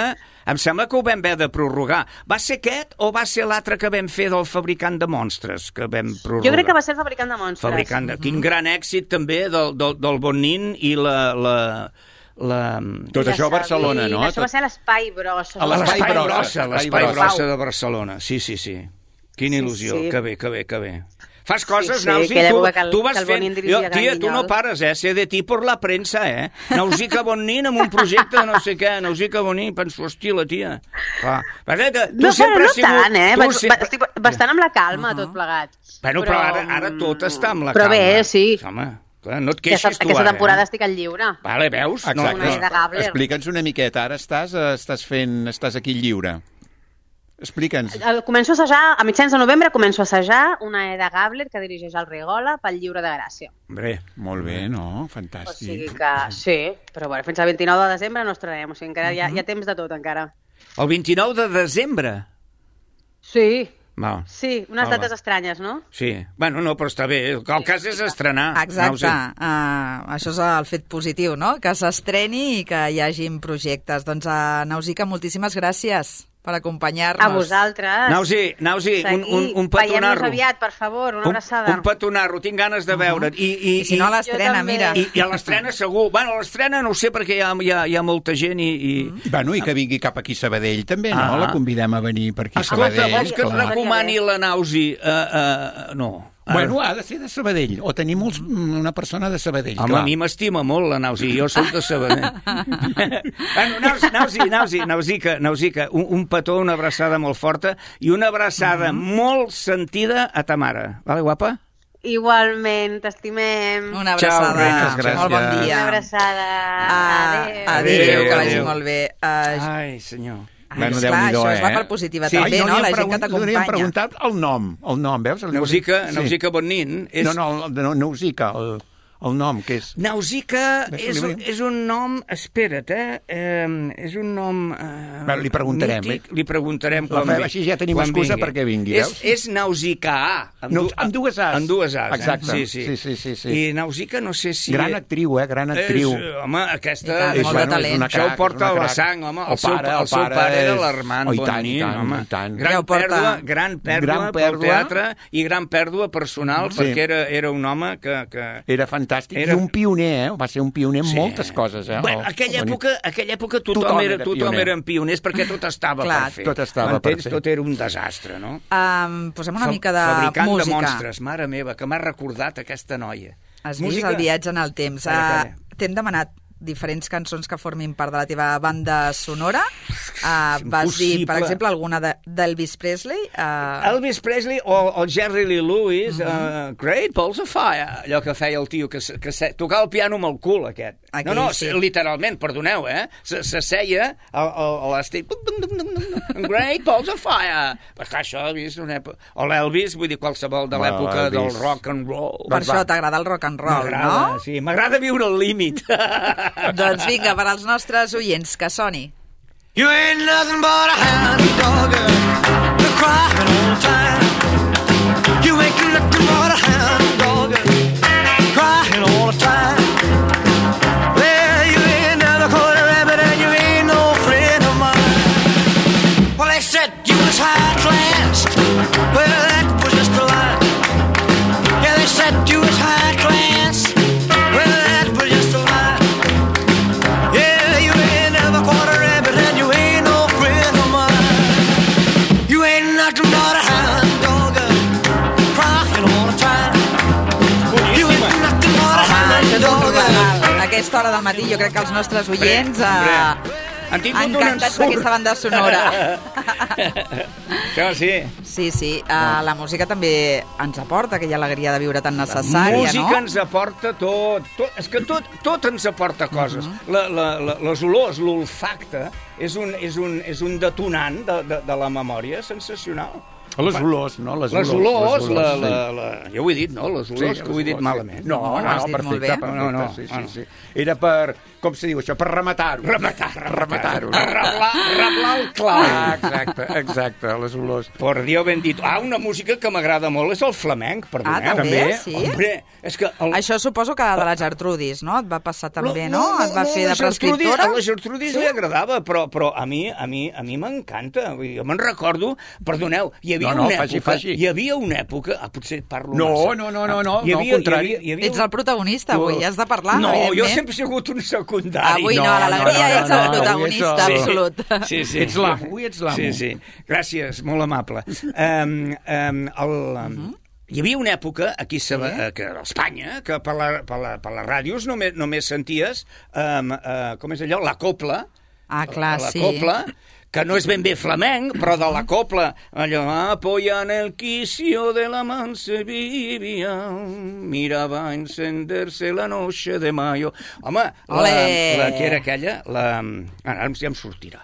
Speaker 6: em sembla que ho vam haver de prorrogar. Va ser aquest o va ser l'altre que vam fer del fabricant de monstres, que vam prorrogar?
Speaker 7: Jo crec que va ser el fabricant de monstres.
Speaker 6: Fabricant de... Quin gran èxit, també, del, del, del Bonin i la... la, la...
Speaker 4: Tot això a Barcelona, no?
Speaker 7: Això va ser a l'Espai Brossa.
Speaker 4: A l'Espai
Speaker 6: L'Espai
Speaker 4: Brossa,
Speaker 6: Brossa, l'Espai
Speaker 4: Espai
Speaker 6: Brossa
Speaker 7: Brossa.
Speaker 6: de Barcelona. Sí, sí, sí. Quina
Speaker 7: Sí,
Speaker 6: il·lusió.
Speaker 7: sí.
Speaker 6: Que bé, que bé, que bé. Fas coses,
Speaker 7: sí,
Speaker 6: Nausi,
Speaker 7: aquella
Speaker 6: tu,
Speaker 7: època que el-
Speaker 6: tu vas
Speaker 7: que el
Speaker 6: fent...
Speaker 7: Bonin dirigia
Speaker 6: Jo, tia,
Speaker 7: Gran
Speaker 6: tu no
Speaker 7: Guinyol.
Speaker 6: pares, eh? Sé de ti per la premsa, eh? Nausica Bonin amb un projecte de no sé què. Nausica Bonin, penso, hòstia, la tia. Clar. Perquè que tu
Speaker 7: No,
Speaker 6: sempre
Speaker 7: però no
Speaker 6: has sigut...
Speaker 7: tant, eh?
Speaker 6: tu
Speaker 7: Vaig,
Speaker 6: sempre-
Speaker 7: va, estic bastant amb la calma, tot plegat.
Speaker 6: Bueno, però, ara, ara tot està amb la
Speaker 7: però
Speaker 6: calma.
Speaker 7: bé, sí.
Speaker 6: Home, clar, no et
Speaker 7: Aquesta,
Speaker 6: queixis tu
Speaker 7: aquesta
Speaker 6: ara,
Speaker 7: temporada
Speaker 6: eh?
Speaker 7: estic al lliure.
Speaker 6: Vale, veus?
Speaker 4: Exacte.
Speaker 7: Una idea de Gabler.
Speaker 4: Explica'ns una miqueta. Ara estàs, eh, estàs fent... Estàs aquí lliure. Explica'ns.
Speaker 7: El- Començo a assajar, a mitjans de novembre començo a assajar una E de Gabler que dirigeix el Rigola pel Lliure de Gràcia.
Speaker 6: Hombre,
Speaker 4: Molt bé, no?
Speaker 7: O sigui
Speaker 4: Fantàstic.
Speaker 7: que sí, però bueno, fins al vint-i-nou de desembre no estrenarem, o sigui encara hi ha, hi ha temps de tot encara.
Speaker 6: el vint-i-nou de desembre.
Speaker 7: Sí,
Speaker 6: Val.
Speaker 7: sí, unes
Speaker 6: Hola.
Speaker 7: dates estranyes, no?
Speaker 6: Sí, bueno, no, però està bé. El cas és estrenar.
Speaker 3: Exacte,
Speaker 6: Nausi.
Speaker 3: uh, això és el fet positiu, no? Que s'estreni i que hi hagin projectes. Doncs, uh, Nausica, moltíssimes gràcies per acompanyar-nos.
Speaker 7: A vosaltres.
Speaker 6: Nausi, Nausi, un, un, un
Speaker 7: Veiem-nos
Speaker 6: petonarro.
Speaker 7: aviat, per favor, una
Speaker 6: Un,
Speaker 7: abraçada.
Speaker 6: un petonarro, tinc ganes de veure't. I, i,
Speaker 3: I si no, a
Speaker 7: Jo
Speaker 3: l'estrena,
Speaker 7: també.
Speaker 3: mira.
Speaker 6: I, I a l'estrena segur. Bueno, a l'estrena no ho sé perquè hi ha, hi ha, hi ha molta gent i... i...
Speaker 4: I, bueno, i que vingui cap aquí a Sabadell, també, no?
Speaker 6: Ah.
Speaker 4: La convidem a venir per aquí a
Speaker 6: Escolta,
Speaker 4: Sabadell.
Speaker 6: vols que et
Speaker 4: clar.
Speaker 6: recomani la Nausi? Uh, uh, no.
Speaker 4: Bueno, ha de ser de Sabadell, o tenir molts, una persona de Sabadell,
Speaker 6: Home,
Speaker 4: clar.
Speaker 6: a mi m'estima molt la Nausi, jo soc de Sabadell. bueno, Nausi, Nausi, Nausi, Nausica, Nausica, un, un petó, una abraçada molt forta i una abraçada mm -hmm. molt sentida a ta mare. Vale, guapa?
Speaker 7: Igualment, t'estimem.
Speaker 3: Una
Speaker 6: Ciao,
Speaker 3: abraçada.
Speaker 6: reina,
Speaker 4: gràcies.
Speaker 3: Molt bon dia.
Speaker 7: Una abraçada.
Speaker 3: Ah,
Speaker 7: Adéu.
Speaker 3: adéu,
Speaker 6: Adéu,
Speaker 3: que vagi
Speaker 6: adéu.
Speaker 3: molt bé. Uh,
Speaker 6: Ai, senyor.
Speaker 4: Bueno,
Speaker 3: esclar,
Speaker 4: Déu-n'hi-do,
Speaker 3: això es va
Speaker 4: eh?
Speaker 3: per positiva
Speaker 6: Sí,
Speaker 3: també,
Speaker 4: Ai,
Speaker 3: no?
Speaker 4: li
Speaker 3: La
Speaker 4: hem
Speaker 3: gent que
Speaker 4: pregun- li hem
Speaker 3: t'acompanya.
Speaker 4: preguntat el nom, el nom, veus? El
Speaker 6: Nausica,
Speaker 4: Sí.
Speaker 6: Nausica Bonin és...
Speaker 4: No, no, el- no, Nausica, el, el nom, que és...
Speaker 6: Nausica
Speaker 4: Ves,
Speaker 6: és,
Speaker 4: li-
Speaker 6: un- és un nom... Espera't, eh? eh és un nom... Eh,
Speaker 4: Bueno, li preguntarem,
Speaker 6: mític.
Speaker 4: eh?
Speaker 6: Li preguntarem
Speaker 4: La
Speaker 6: quan
Speaker 4: fem
Speaker 6: vi-
Speaker 4: així, ja tenim
Speaker 6: quan
Speaker 4: excusa
Speaker 6: vingui.
Speaker 4: perquè vingui,
Speaker 6: és,
Speaker 4: veus?
Speaker 6: És Nausica, amb,
Speaker 4: No,
Speaker 6: du-
Speaker 4: amb dues As.
Speaker 6: Amb dues As,
Speaker 4: Exacte.
Speaker 6: eh? Sí, sí.
Speaker 4: Sí, sí, sí, sí.
Speaker 6: I Nausica no sé si...
Speaker 4: Gran actriu, eh? Gran actriu.
Speaker 6: És, home,
Speaker 3: I
Speaker 6: aquesta...
Speaker 3: tant,
Speaker 6: és,
Speaker 3: molt de
Speaker 6: bueno,
Speaker 3: talent.
Speaker 6: és una Això ho porta a la
Speaker 4: crac.
Speaker 6: sang, home. El,
Speaker 4: El
Speaker 6: seu,
Speaker 4: pare,
Speaker 6: el
Speaker 4: el
Speaker 6: seu
Speaker 4: pare
Speaker 6: pare era
Speaker 4: és-
Speaker 6: l'Armand
Speaker 4: Oh, i tant,
Speaker 6: Bonin,
Speaker 4: i tant,
Speaker 6: home.
Speaker 4: i tant.
Speaker 6: Gran
Speaker 3: Ja ho porta.
Speaker 6: pèrdua, gran pèrdua,
Speaker 4: Gran
Speaker 6: pel
Speaker 4: pèrdua.
Speaker 6: teatre i gran pèrdua personal,
Speaker 4: Sí.
Speaker 6: perquè era, era un home que... que...
Speaker 4: Era fantàstic.
Speaker 6: Era-
Speaker 4: I un pioner, eh? Va ser un pioner en
Speaker 6: Sí.
Speaker 4: moltes coses, eh?
Speaker 6: Bueno,
Speaker 4: El-
Speaker 6: aquella
Speaker 4: el-
Speaker 6: època, aquella època tothom,
Speaker 4: Tothom
Speaker 6: era,
Speaker 4: era
Speaker 6: tothom
Speaker 4: pioner.
Speaker 6: eren pioners perquè tot estava
Speaker 3: Clar,
Speaker 6: per fer.
Speaker 4: tot estava per
Speaker 6: M'entens?
Speaker 4: fer.
Speaker 6: Tot era un desastre, no?
Speaker 3: Um, posem una
Speaker 6: Fa-
Speaker 3: mica de
Speaker 6: Fabricant
Speaker 3: música.
Speaker 6: de monstres, mare meva, que m'ha recordat aquesta noia.
Speaker 3: Has vist el viatge en el temps.
Speaker 6: Calla,
Speaker 3: Uh,
Speaker 6: calla.
Speaker 3: T'hem demanat diferents cançons que formin part de la teva banda sonora. Uh, vas dir, per
Speaker 6: impossible.
Speaker 3: exemple, alguna de- d'Elvis Presley. Uh,
Speaker 6: Elvis Presley o, o Jerry Lee Lewis, uh -huh. uh, Great Balls of Fire, allò que feia el tio, que, se, que se, tocava el piano amb el cul, aquest.
Speaker 3: Aquell,
Speaker 6: no, no,
Speaker 3: sí.
Speaker 6: literalment, perdoneu, eh? Se, se seia a, a, a l'estil... Great Balls of Fire. Però clar, això he vist una època... O l'Elvis, vull dir, qualsevol de
Speaker 4: Va,
Speaker 6: l'època del
Speaker 4: l'Elvis.
Speaker 6: rock and roll.
Speaker 3: per
Speaker 4: doncs
Speaker 3: això
Speaker 4: va.
Speaker 3: t'agrada el rock and roll,
Speaker 6: M'agrada,
Speaker 3: no?
Speaker 6: sí, m'agrada viure al límit.
Speaker 3: Doncs vinga, per als nostres oients, que soni.
Speaker 8: You ain't nothing but a hound dog, you're crying all the time. You ain't nothing but a hound dog, crying all the time. Well, you ain't never caught a rabbit and you ain't no friend
Speaker 3: aquesta hora del matí. Jo crec que els nostres oients eh,
Speaker 6: han tingut
Speaker 3: encantats d'aquesta banda sonora.
Speaker 6: Això sí.
Speaker 3: Sí, sí. Uh, la música també ens aporta aquella alegria de viure tan necessària,
Speaker 6: la música
Speaker 3: no?
Speaker 6: ens aporta tot, tot. És que tot, tot ens aporta coses. Uh-huh. la, la, la, les olors, l'olfacte, és un, és, un, és un detonant de, de, de la memòria sensacional.
Speaker 4: Les olors, no? Les,
Speaker 6: les
Speaker 4: olors,
Speaker 6: olors,
Speaker 4: les olors
Speaker 6: la,
Speaker 4: sí.
Speaker 6: la, la... Jo ho he dit, no? Les olors,
Speaker 4: sí,
Speaker 6: que ho he dit
Speaker 4: olors,
Speaker 6: malament.
Speaker 4: Sí. No, no, no,
Speaker 3: no
Speaker 4: perfecte, perfecte,
Speaker 6: no, no,
Speaker 4: sí, sí,
Speaker 6: no.
Speaker 4: sí. Era per, com se diu això, per rematar-ho.
Speaker 6: Rematar,
Speaker 4: rematar-ho.
Speaker 6: Reblar, reblar el clau.
Speaker 4: Ah, exacte, exacte, les olors.
Speaker 6: Por Dios bendito. Ah, una música que m'agrada molt és el flamenc, perdoneu.
Speaker 3: Ah, també? Sí?
Speaker 6: Hombre, és que... El...
Speaker 3: Això suposo que de la Gertrudis, no? Et va passar també, no? Et va fer de
Speaker 6: la Gertrudis-
Speaker 3: prescriptora?
Speaker 6: A la Gertrudis sí? li agradava, però, però a mi a mi a mi m'encanta. Vull dir, Jo me'n recordo, perdoneu, hi havia
Speaker 4: No, no,
Speaker 6: una
Speaker 4: faci,
Speaker 6: època...
Speaker 4: faci.
Speaker 6: Hi havia una època... Ah, potser parlo
Speaker 4: No,
Speaker 6: massa.
Speaker 4: no, no, no, no,
Speaker 6: Hi
Speaker 4: no,
Speaker 6: havia,
Speaker 4: al contrari.
Speaker 6: Hi havia, hi havia
Speaker 3: Ets el protagonista avui, has de parlar,
Speaker 6: No,
Speaker 3: evidentment.
Speaker 6: jo sempre he sigut un secundari.
Speaker 3: Avui no, a l'alegria ets el protagonista
Speaker 4: avui ets el-
Speaker 3: absolut.
Speaker 6: Sí, sí.
Speaker 4: Ets l'amo, avui ets l'amo.
Speaker 6: Sí, sí. Gràcies, molt amable. Um, um, el, um, Hi havia una època aquí sí? a, que, a Espanya que per, la, per, la, per les ràdios només, només senties um, uh, com és allò? La copla.
Speaker 3: Ah, clar,
Speaker 6: la
Speaker 3: sí.
Speaker 6: copla, que no és ben bé flamenc, però de la copla, allò, apoyan el quicio de la mansevilla, mirava encenderse la noche de mayo. Home, la, la que era aquella, la, ara ja em sortirà.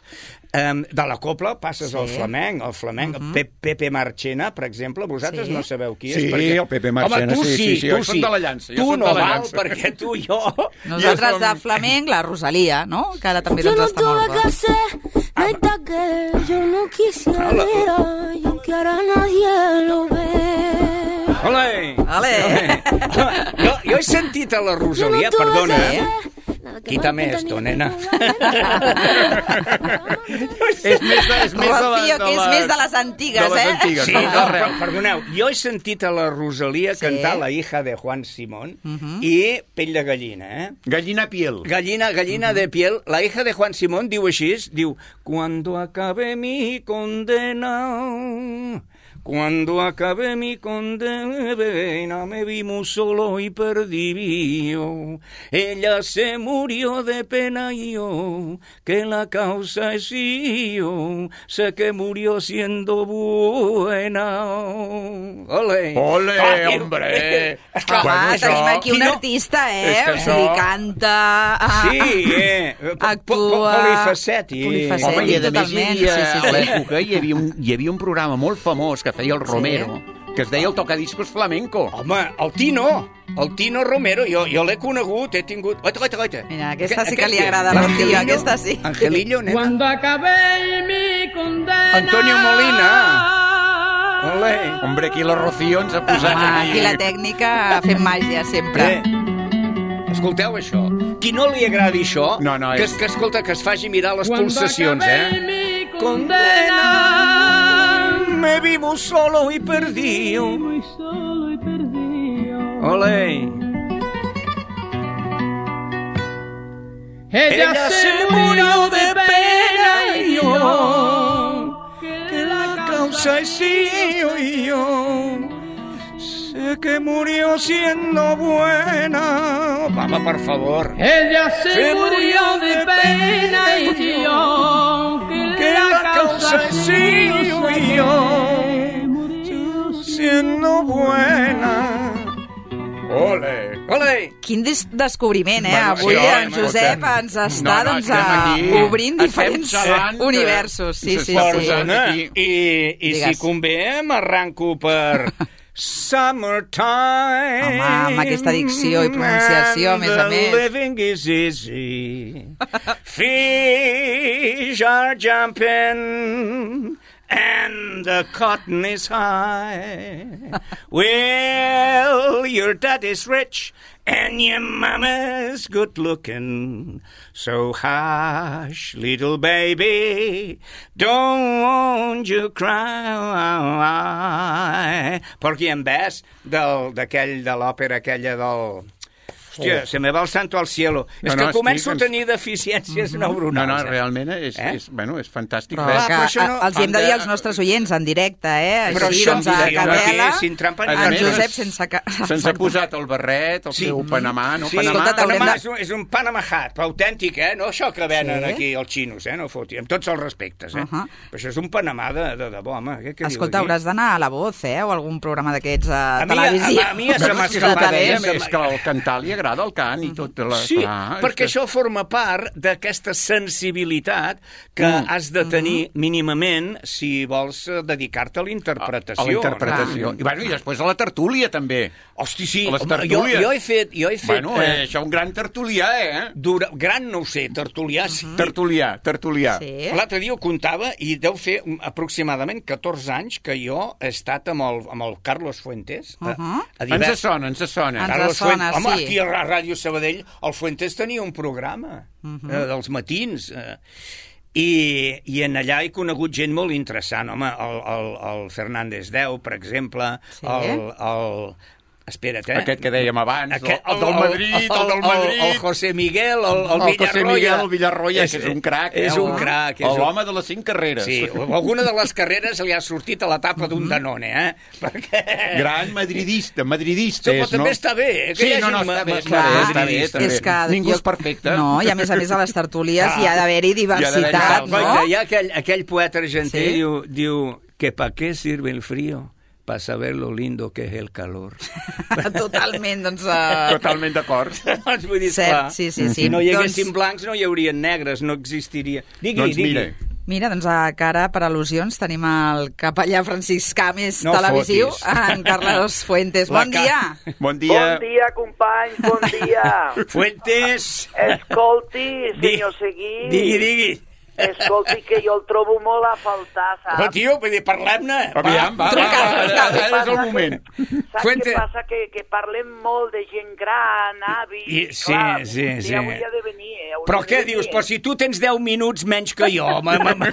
Speaker 6: Um, de la copla passes
Speaker 3: Sí.
Speaker 6: al flamenc, el flamenc, uh-huh. Pe Pepe Marchena, per exemple, vosaltres
Speaker 3: Sí.
Speaker 6: no sabeu qui és.
Speaker 4: Sí,
Speaker 6: perquè...
Speaker 4: el Pepe Marchena,
Speaker 6: Home, tu
Speaker 4: sí,
Speaker 6: sí,
Speaker 4: sí, sí,
Speaker 6: tu
Speaker 4: jo soc de la llança, jo
Speaker 6: Tu
Speaker 4: soc
Speaker 6: no
Speaker 4: de la
Speaker 6: val,
Speaker 4: llança.
Speaker 6: perquè tu i jo...
Speaker 3: Nosaltres de flamenc, la Rosalia, no? Que ara també
Speaker 2: Yo
Speaker 3: doncs
Speaker 2: no
Speaker 3: està
Speaker 2: tuve
Speaker 3: molt
Speaker 2: que
Speaker 3: bé.
Speaker 2: hacer nada que yo no quisiera y aunque ahora nadie lo ve.
Speaker 6: Ole!
Speaker 3: Ale!
Speaker 6: Jo, jo he sentit a la Rosalia,
Speaker 2: Yo no tuve
Speaker 6: perdona,
Speaker 2: que
Speaker 6: eh?
Speaker 2: hacer nada que
Speaker 6: Quítame
Speaker 2: no
Speaker 6: esto,
Speaker 2: ni
Speaker 6: nena.
Speaker 4: És més de, és més de la,
Speaker 3: Rocío, que és
Speaker 4: les-
Speaker 3: més de les antigues,
Speaker 4: de les
Speaker 3: eh?
Speaker 4: antigues,
Speaker 6: Sí,
Speaker 4: no,
Speaker 6: no,
Speaker 4: arreu.
Speaker 6: però, perdoneu, jo he sentit a la Rosalia
Speaker 3: Sí.
Speaker 6: cantar La hija de Juan Simón i Pell de gallina, eh?
Speaker 4: Gallina piel.
Speaker 6: Gallina, gallina de piel. La hija de Juan Simón diu així, diu, Cuando acabe mi condena... Cuando acabe mi condena me vi muy solo y perdido. Ella se murió de pena y yo, que la causa es yo, sé que murió siendo buena. Ole!
Speaker 4: Ole,
Speaker 6: Ah,
Speaker 4: hombre!
Speaker 6: És clar,
Speaker 3: Home,
Speaker 4: Bueno, això-
Speaker 3: tenim aquí un
Speaker 6: Qui no-
Speaker 3: artista, eh?
Speaker 4: És que
Speaker 3: O sigui,
Speaker 4: això-
Speaker 3: canta... ah,
Speaker 6: Sí, eh?
Speaker 3: Actua...
Speaker 6: Polifacètic.
Speaker 3: Polifacètic,
Speaker 4: Home, i a més hi
Speaker 3: totalment.
Speaker 4: havia,
Speaker 3: Sí, sí,
Speaker 4: a
Speaker 3: sí.
Speaker 4: l'època hi havia, un, hi havia un programa molt famós que feia el Romero, que es deia el Tocadiscos Flamenco.
Speaker 6: Home, el Tino, el Tino Romero, jo, jo l'he conegut, he tingut... Oita, oita, oita.
Speaker 3: Mira, aquesta
Speaker 6: Aquest-
Speaker 3: sí que li
Speaker 6: aquest
Speaker 3: agrada a
Speaker 6: és?
Speaker 3: la Rocío,
Speaker 6: Angelillo?
Speaker 3: aquesta sí.
Speaker 6: Angelillo, nena.
Speaker 9: Cuando acabé mi condena.
Speaker 6: Antonio Molina. Ole.
Speaker 4: Hombre, aquí la Rocío ens ha posat
Speaker 3: Home,
Speaker 4: aquí...
Speaker 3: aquí la tècnica fent màgia, sempre.
Speaker 6: Eh, escolteu això. Qui no li agradi això,
Speaker 4: No, no,
Speaker 6: que,
Speaker 4: és-
Speaker 6: que, escolta, que es faci mirar les
Speaker 9: Cuando
Speaker 6: pulsacions,
Speaker 9: acabé
Speaker 6: eh?
Speaker 9: mi
Speaker 6: Condena,
Speaker 9: condena.
Speaker 6: me vivo solo y perdido.
Speaker 9: Muy solo y perdido.
Speaker 6: Ole.
Speaker 9: Ella,
Speaker 6: Ella
Speaker 9: se murió de pena y yo, que la
Speaker 6: Causa es yo y yo. Sé que murió siendo buena. Vamos, por favor.
Speaker 9: Ella se,
Speaker 6: Se
Speaker 9: murió de pena y yo, que,
Speaker 6: Que la causa es yo y yo. Siendo buena. Ole. Ole.
Speaker 3: Quin des descobriment, eh?
Speaker 4: Bueno,
Speaker 3: Avui
Speaker 4: sí,
Speaker 3: en
Speaker 4: home,
Speaker 3: Josep
Speaker 4: estem-
Speaker 3: ens està,
Speaker 4: No, no,
Speaker 3: doncs,
Speaker 4: estem
Speaker 3: a-
Speaker 4: aquí.
Speaker 3: obrint
Speaker 4: Estem
Speaker 3: diferents
Speaker 4: xalant que
Speaker 3: universos. Sí,
Speaker 4: ens
Speaker 3: sí,
Speaker 4: està
Speaker 3: sí.
Speaker 4: posant
Speaker 6: Perdona,
Speaker 4: aquí.
Speaker 6: i, i si
Speaker 3: Digues.
Speaker 6: convé m'arranco per Summertime.
Speaker 3: Home, amb aquesta dicció i pronunciació, a més a
Speaker 6: and
Speaker 3: més.
Speaker 6: the living is easy. Fish are jumping and the cotton is high. Well, your daddy's rich and your mama's good looking. So hush, little baby, don't you cry. Porky and Bess, del, d'aquell, de l'òpera aquella del... Hòstia, se me va el santo al cielo.
Speaker 4: No,
Speaker 6: és
Speaker 4: no,
Speaker 6: que començo
Speaker 4: estic...
Speaker 6: a tenir deficiències
Speaker 4: No,
Speaker 6: neuronals.
Speaker 4: no,
Speaker 6: eh?
Speaker 4: realment és,
Speaker 6: Eh?
Speaker 4: és, bueno, és fantàstic.
Speaker 3: Però
Speaker 4: Res.
Speaker 3: que
Speaker 6: però això no-
Speaker 3: a- els hi hem de dir als nostres oients en directe, eh?
Speaker 6: Però
Speaker 3: Així,
Speaker 6: això
Speaker 3: doncs, a
Speaker 6: sí,
Speaker 3: capella,
Speaker 6: aquí, sin trampa ni
Speaker 3: en
Speaker 4: cartó.
Speaker 3: Josep sense... Ca...
Speaker 4: Se'ns ha posat el barret, el
Speaker 6: Sí.
Speaker 4: seu Panamà, no?
Speaker 6: Sí,
Speaker 4: Panamà.
Speaker 3: Escolta, t'haurem
Speaker 6: Panamà
Speaker 3: de-
Speaker 6: és un, és un Panama Hat, però autèntic, eh? No això que venen
Speaker 3: Sí.
Speaker 6: aquí els xinos, eh? No foti, amb tots els respectes, eh?
Speaker 3: Uh -huh.
Speaker 6: Però això és un Panamà de, de debò, home. Què, què
Speaker 3: Escolta,
Speaker 6: diu aquí?
Speaker 3: hauràs d'anar a La Voz, eh? O algun programa d'aquests a,
Speaker 6: A mi-
Speaker 3: televisió.
Speaker 6: a- a mi ja se
Speaker 3: Bueno,
Speaker 6: m'ha
Speaker 3: és que
Speaker 6: escapat,
Speaker 3: talent.
Speaker 6: eh?
Speaker 4: És que al cantar li agrada el cant i tot. La...
Speaker 6: Sí,
Speaker 4: clar, és
Speaker 6: perquè
Speaker 4: que...
Speaker 6: això forma part d'aquesta sensibilitat que
Speaker 4: Mm.
Speaker 6: has de tenir mínimament si vols eh, dedicar-te a la interpretació.
Speaker 4: A la interpretació.
Speaker 6: no?
Speaker 4: I, bueno, I després a la tertúlia, també.
Speaker 6: Hosti, sí,
Speaker 4: A les
Speaker 6: home, jo,
Speaker 4: tertúlies.
Speaker 6: jo he fet... Jo he fet
Speaker 4: Bueno, eh, això un gran tertulià, eh?
Speaker 6: dura, gran no ho sé, tertulià sí.
Speaker 4: Tertulià, tertulià.
Speaker 3: Sí.
Speaker 6: L'altre dia ho comptava i deu fer um, aproximadament catorze anys que jo he estat amb el, amb el Carlos Fuentes.
Speaker 3: Uh -huh.
Speaker 6: a, a
Speaker 4: Ens sona, ens sona.
Speaker 3: Ens
Speaker 6: Carlos
Speaker 3: sona,
Speaker 6: Fuentes. Home,
Speaker 3: sí.
Speaker 6: aquí a la Ràdio Sabadell el Fuentes tenia un programa uh -huh. eh, dels matins. Eh, i, I en allà he conegut gent molt interessant, home, el, el, el Fernández Deu, per exemple,
Speaker 3: Sí.
Speaker 6: el... el Espera't, eh?
Speaker 4: Aquest que dèiem abans,
Speaker 6: Aquest,
Speaker 4: el, el del Madrid, el, del Madrid...
Speaker 6: El, el José Miguel, el, el,
Speaker 4: el
Speaker 6: Villarroya.
Speaker 4: José Miguel, el Villarroya, que és un crac.
Speaker 6: És
Speaker 4: eh?
Speaker 6: un crac. És un...
Speaker 4: L'home de les cinc carreres.
Speaker 6: Sí, alguna de les carreres li ha sortit a la tapa d'un Danone, eh? Perquè...
Speaker 4: Gran madridista, madridista
Speaker 6: Però
Speaker 4: és,
Speaker 6: també
Speaker 4: no?
Speaker 6: està bé, eh? Que
Speaker 4: Sí,
Speaker 6: hi hagi
Speaker 4: no, no,
Speaker 6: ma-
Speaker 4: està bé,
Speaker 6: ma-
Speaker 4: està bé, està bé,
Speaker 6: madridistes.
Speaker 4: està bé.
Speaker 3: És que
Speaker 4: Ningú
Speaker 3: jo-
Speaker 4: és perfecte.
Speaker 3: No, i a més a més a les tertúlies
Speaker 6: Ah.
Speaker 3: hi ha d'haver-hi
Speaker 4: Hi ha
Speaker 3: diversitat,
Speaker 4: d'haver-hi
Speaker 3: no?
Speaker 6: Guaita, hi ha aquell, aquell poeta argentí
Speaker 3: Sí.
Speaker 6: diu, diu que pa què sirve el frío para saber lo lindo que es el calor.
Speaker 3: Totalment, doncs... Uh...
Speaker 4: Totalment d'acord.
Speaker 6: doncs vull dir,
Speaker 3: Cert,
Speaker 6: clar,
Speaker 3: sí, sí, sí.
Speaker 6: si no hi haguessin
Speaker 3: Doncs-
Speaker 6: blancs no hi haurien negres, no existiria. Digui,
Speaker 4: Doncs
Speaker 6: digui.
Speaker 4: mira,
Speaker 3: Mira, doncs a cara per al·lusions tenim el capellà franciscà més
Speaker 6: No
Speaker 3: televisiu,
Speaker 6: fotis.
Speaker 3: en Carlos Fuentes.
Speaker 6: La
Speaker 3: Bon
Speaker 6: ca-
Speaker 3: dia!
Speaker 4: bon dia.
Speaker 10: Bon dia, companys, bon dia.
Speaker 6: Fuentes!
Speaker 10: Escolti,
Speaker 6: Di-
Speaker 10: senyor Seguí.
Speaker 6: Digui, digui.
Speaker 10: Escolti, que jo el trobo molt a faltar,
Speaker 6: Oh,
Speaker 10: saps?
Speaker 6: tio, vull dir, parlem-ne.
Speaker 4: Aviam, va, va,
Speaker 3: Truca,
Speaker 4: va,
Speaker 3: truca.
Speaker 4: ara és el moment.
Speaker 10: Saps
Speaker 6: Fuente.
Speaker 10: què passa? Que, que parlem molt de gent gran, avis...
Speaker 6: I- sí,
Speaker 10: clar,
Speaker 6: sí,
Speaker 10: un dia
Speaker 6: sí.
Speaker 10: hauria de venir, eh? hauria
Speaker 6: Però
Speaker 10: de
Speaker 6: què
Speaker 10: venir.
Speaker 6: dius? Però si tu tens deu minuts menys que jo, ma, ma, ma,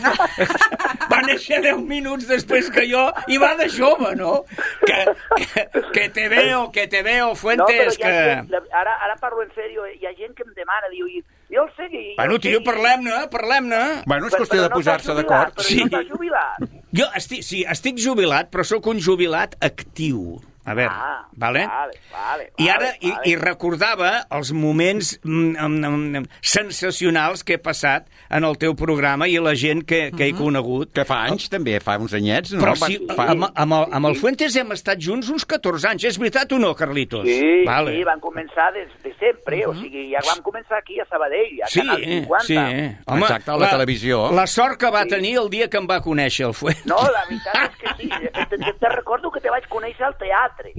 Speaker 6: va néixer deu minuts després que jo i va de jove, no? Que, que, que te veo, que te veo,
Speaker 10: No, però
Speaker 6: Fuentes,
Speaker 10: hi ha
Speaker 6: que...
Speaker 10: gent, ara, ara parlo en sèrio, eh? Hi ha gent que em demana, diu, i- jo el Seguí... jo
Speaker 6: Bueno,
Speaker 10: el
Speaker 6: tio,
Speaker 10: Seguí.
Speaker 6: parlem-ne, parlem-ne.
Speaker 4: Bueno, és
Speaker 10: Però-
Speaker 4: qüestió
Speaker 10: però
Speaker 4: de
Speaker 10: no
Speaker 4: posar-se
Speaker 10: està
Speaker 4: d'acord.
Speaker 10: jubilat, Però
Speaker 6: Sí.
Speaker 10: no està jubilat.
Speaker 6: Jo estic, sí, estic jubilat, però sóc un jubilat actiu. A veure,
Speaker 10: Ah,
Speaker 6: vale?
Speaker 10: vale, vale,
Speaker 6: I ara,
Speaker 10: vale,
Speaker 6: i,
Speaker 10: vale.
Speaker 6: i recordava els moments mm, mm, mm, sensacionals que he passat en el teu programa i la gent que, que he conegut.
Speaker 4: Que fa anys, també, fa uns anyets, no?
Speaker 6: Però
Speaker 4: Va-
Speaker 6: si,
Speaker 4: fa...
Speaker 6: amb, amb, el, amb el Fuentes hem estat junts uns catorze anys, és veritat o no, Carlitos?
Speaker 10: Sí,
Speaker 6: vale.
Speaker 10: sí, van començar des de sempre, o sigui, ja vam començar aquí a Sabadell, a
Speaker 6: Sí,
Speaker 10: Canal cinquanta.
Speaker 6: sí. Home,
Speaker 4: Exacte, a la televisió.
Speaker 6: La sort que va
Speaker 10: Sí.
Speaker 6: tenir el dia que em va conèixer el Fuentes.
Speaker 10: No, la veritat és que sí, te, te, te recordo que te vaig conèixer al teatre.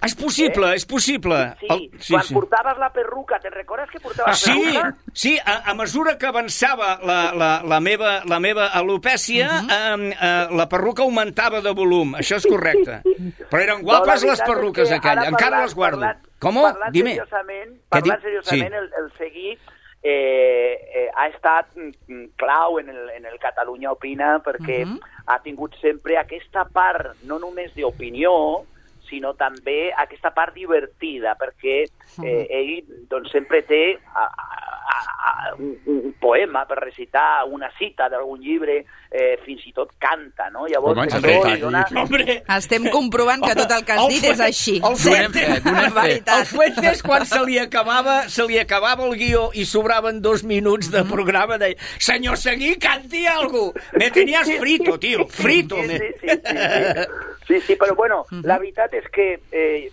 Speaker 6: És possible, és possible.
Speaker 10: Sí,
Speaker 6: El-
Speaker 10: quan portaves la perruca, te'n recordes que portaves
Speaker 6: Sí,
Speaker 10: perruca?
Speaker 6: sí, a, a mesura que avançava la, la, la, meva, la meva alopècia, uh -huh. eh, eh, la perruca augmentava de volum, això és correcte. Però eren guapes
Speaker 10: la
Speaker 6: les
Speaker 10: veritat és
Speaker 6: perruques
Speaker 10: que
Speaker 6: aquelles,
Speaker 10: ara
Speaker 6: encara
Speaker 10: parlant-
Speaker 6: les guardo.
Speaker 10: parlant-
Speaker 6: Com?
Speaker 10: Parlant
Speaker 6: Dime.
Speaker 10: seriosament,
Speaker 6: Què
Speaker 10: parlant
Speaker 6: dic?
Speaker 10: seriosament
Speaker 6: Sí.
Speaker 10: el, el Seguí eh, eh, ha estat mm, clau en el, en el Catalunya Opina perquè
Speaker 3: Mhm.
Speaker 10: ha tingut sempre aquesta part, no només d'opinió, sinó també aquesta part divertida, perquè eh, ell doncs, sempre té a, a, a, un, un poema per recitar, una cita d'algun llibre, eh, fins i tot canta, no? Llavors,
Speaker 4: Home, ens
Speaker 10: això
Speaker 4: ha fet
Speaker 10: li dona...
Speaker 6: Hombre,
Speaker 3: Estem comprovant que tot el que has
Speaker 6: El
Speaker 3: dit és
Speaker 6: Fuentes-
Speaker 3: així.
Speaker 6: el Fuentes-
Speaker 3: La
Speaker 6: el
Speaker 3: veritat.
Speaker 6: Fuentes, quan se li acabava se li acabava el guió i sobraven dos minuts de programa, deia, senyor Seguí, canti algo. Me tenías frito, tio, frito.
Speaker 10: Sí,
Speaker 6: me...
Speaker 10: sí, sí, sí, sí. Sí, sí, però bueno, la veritat és que eh,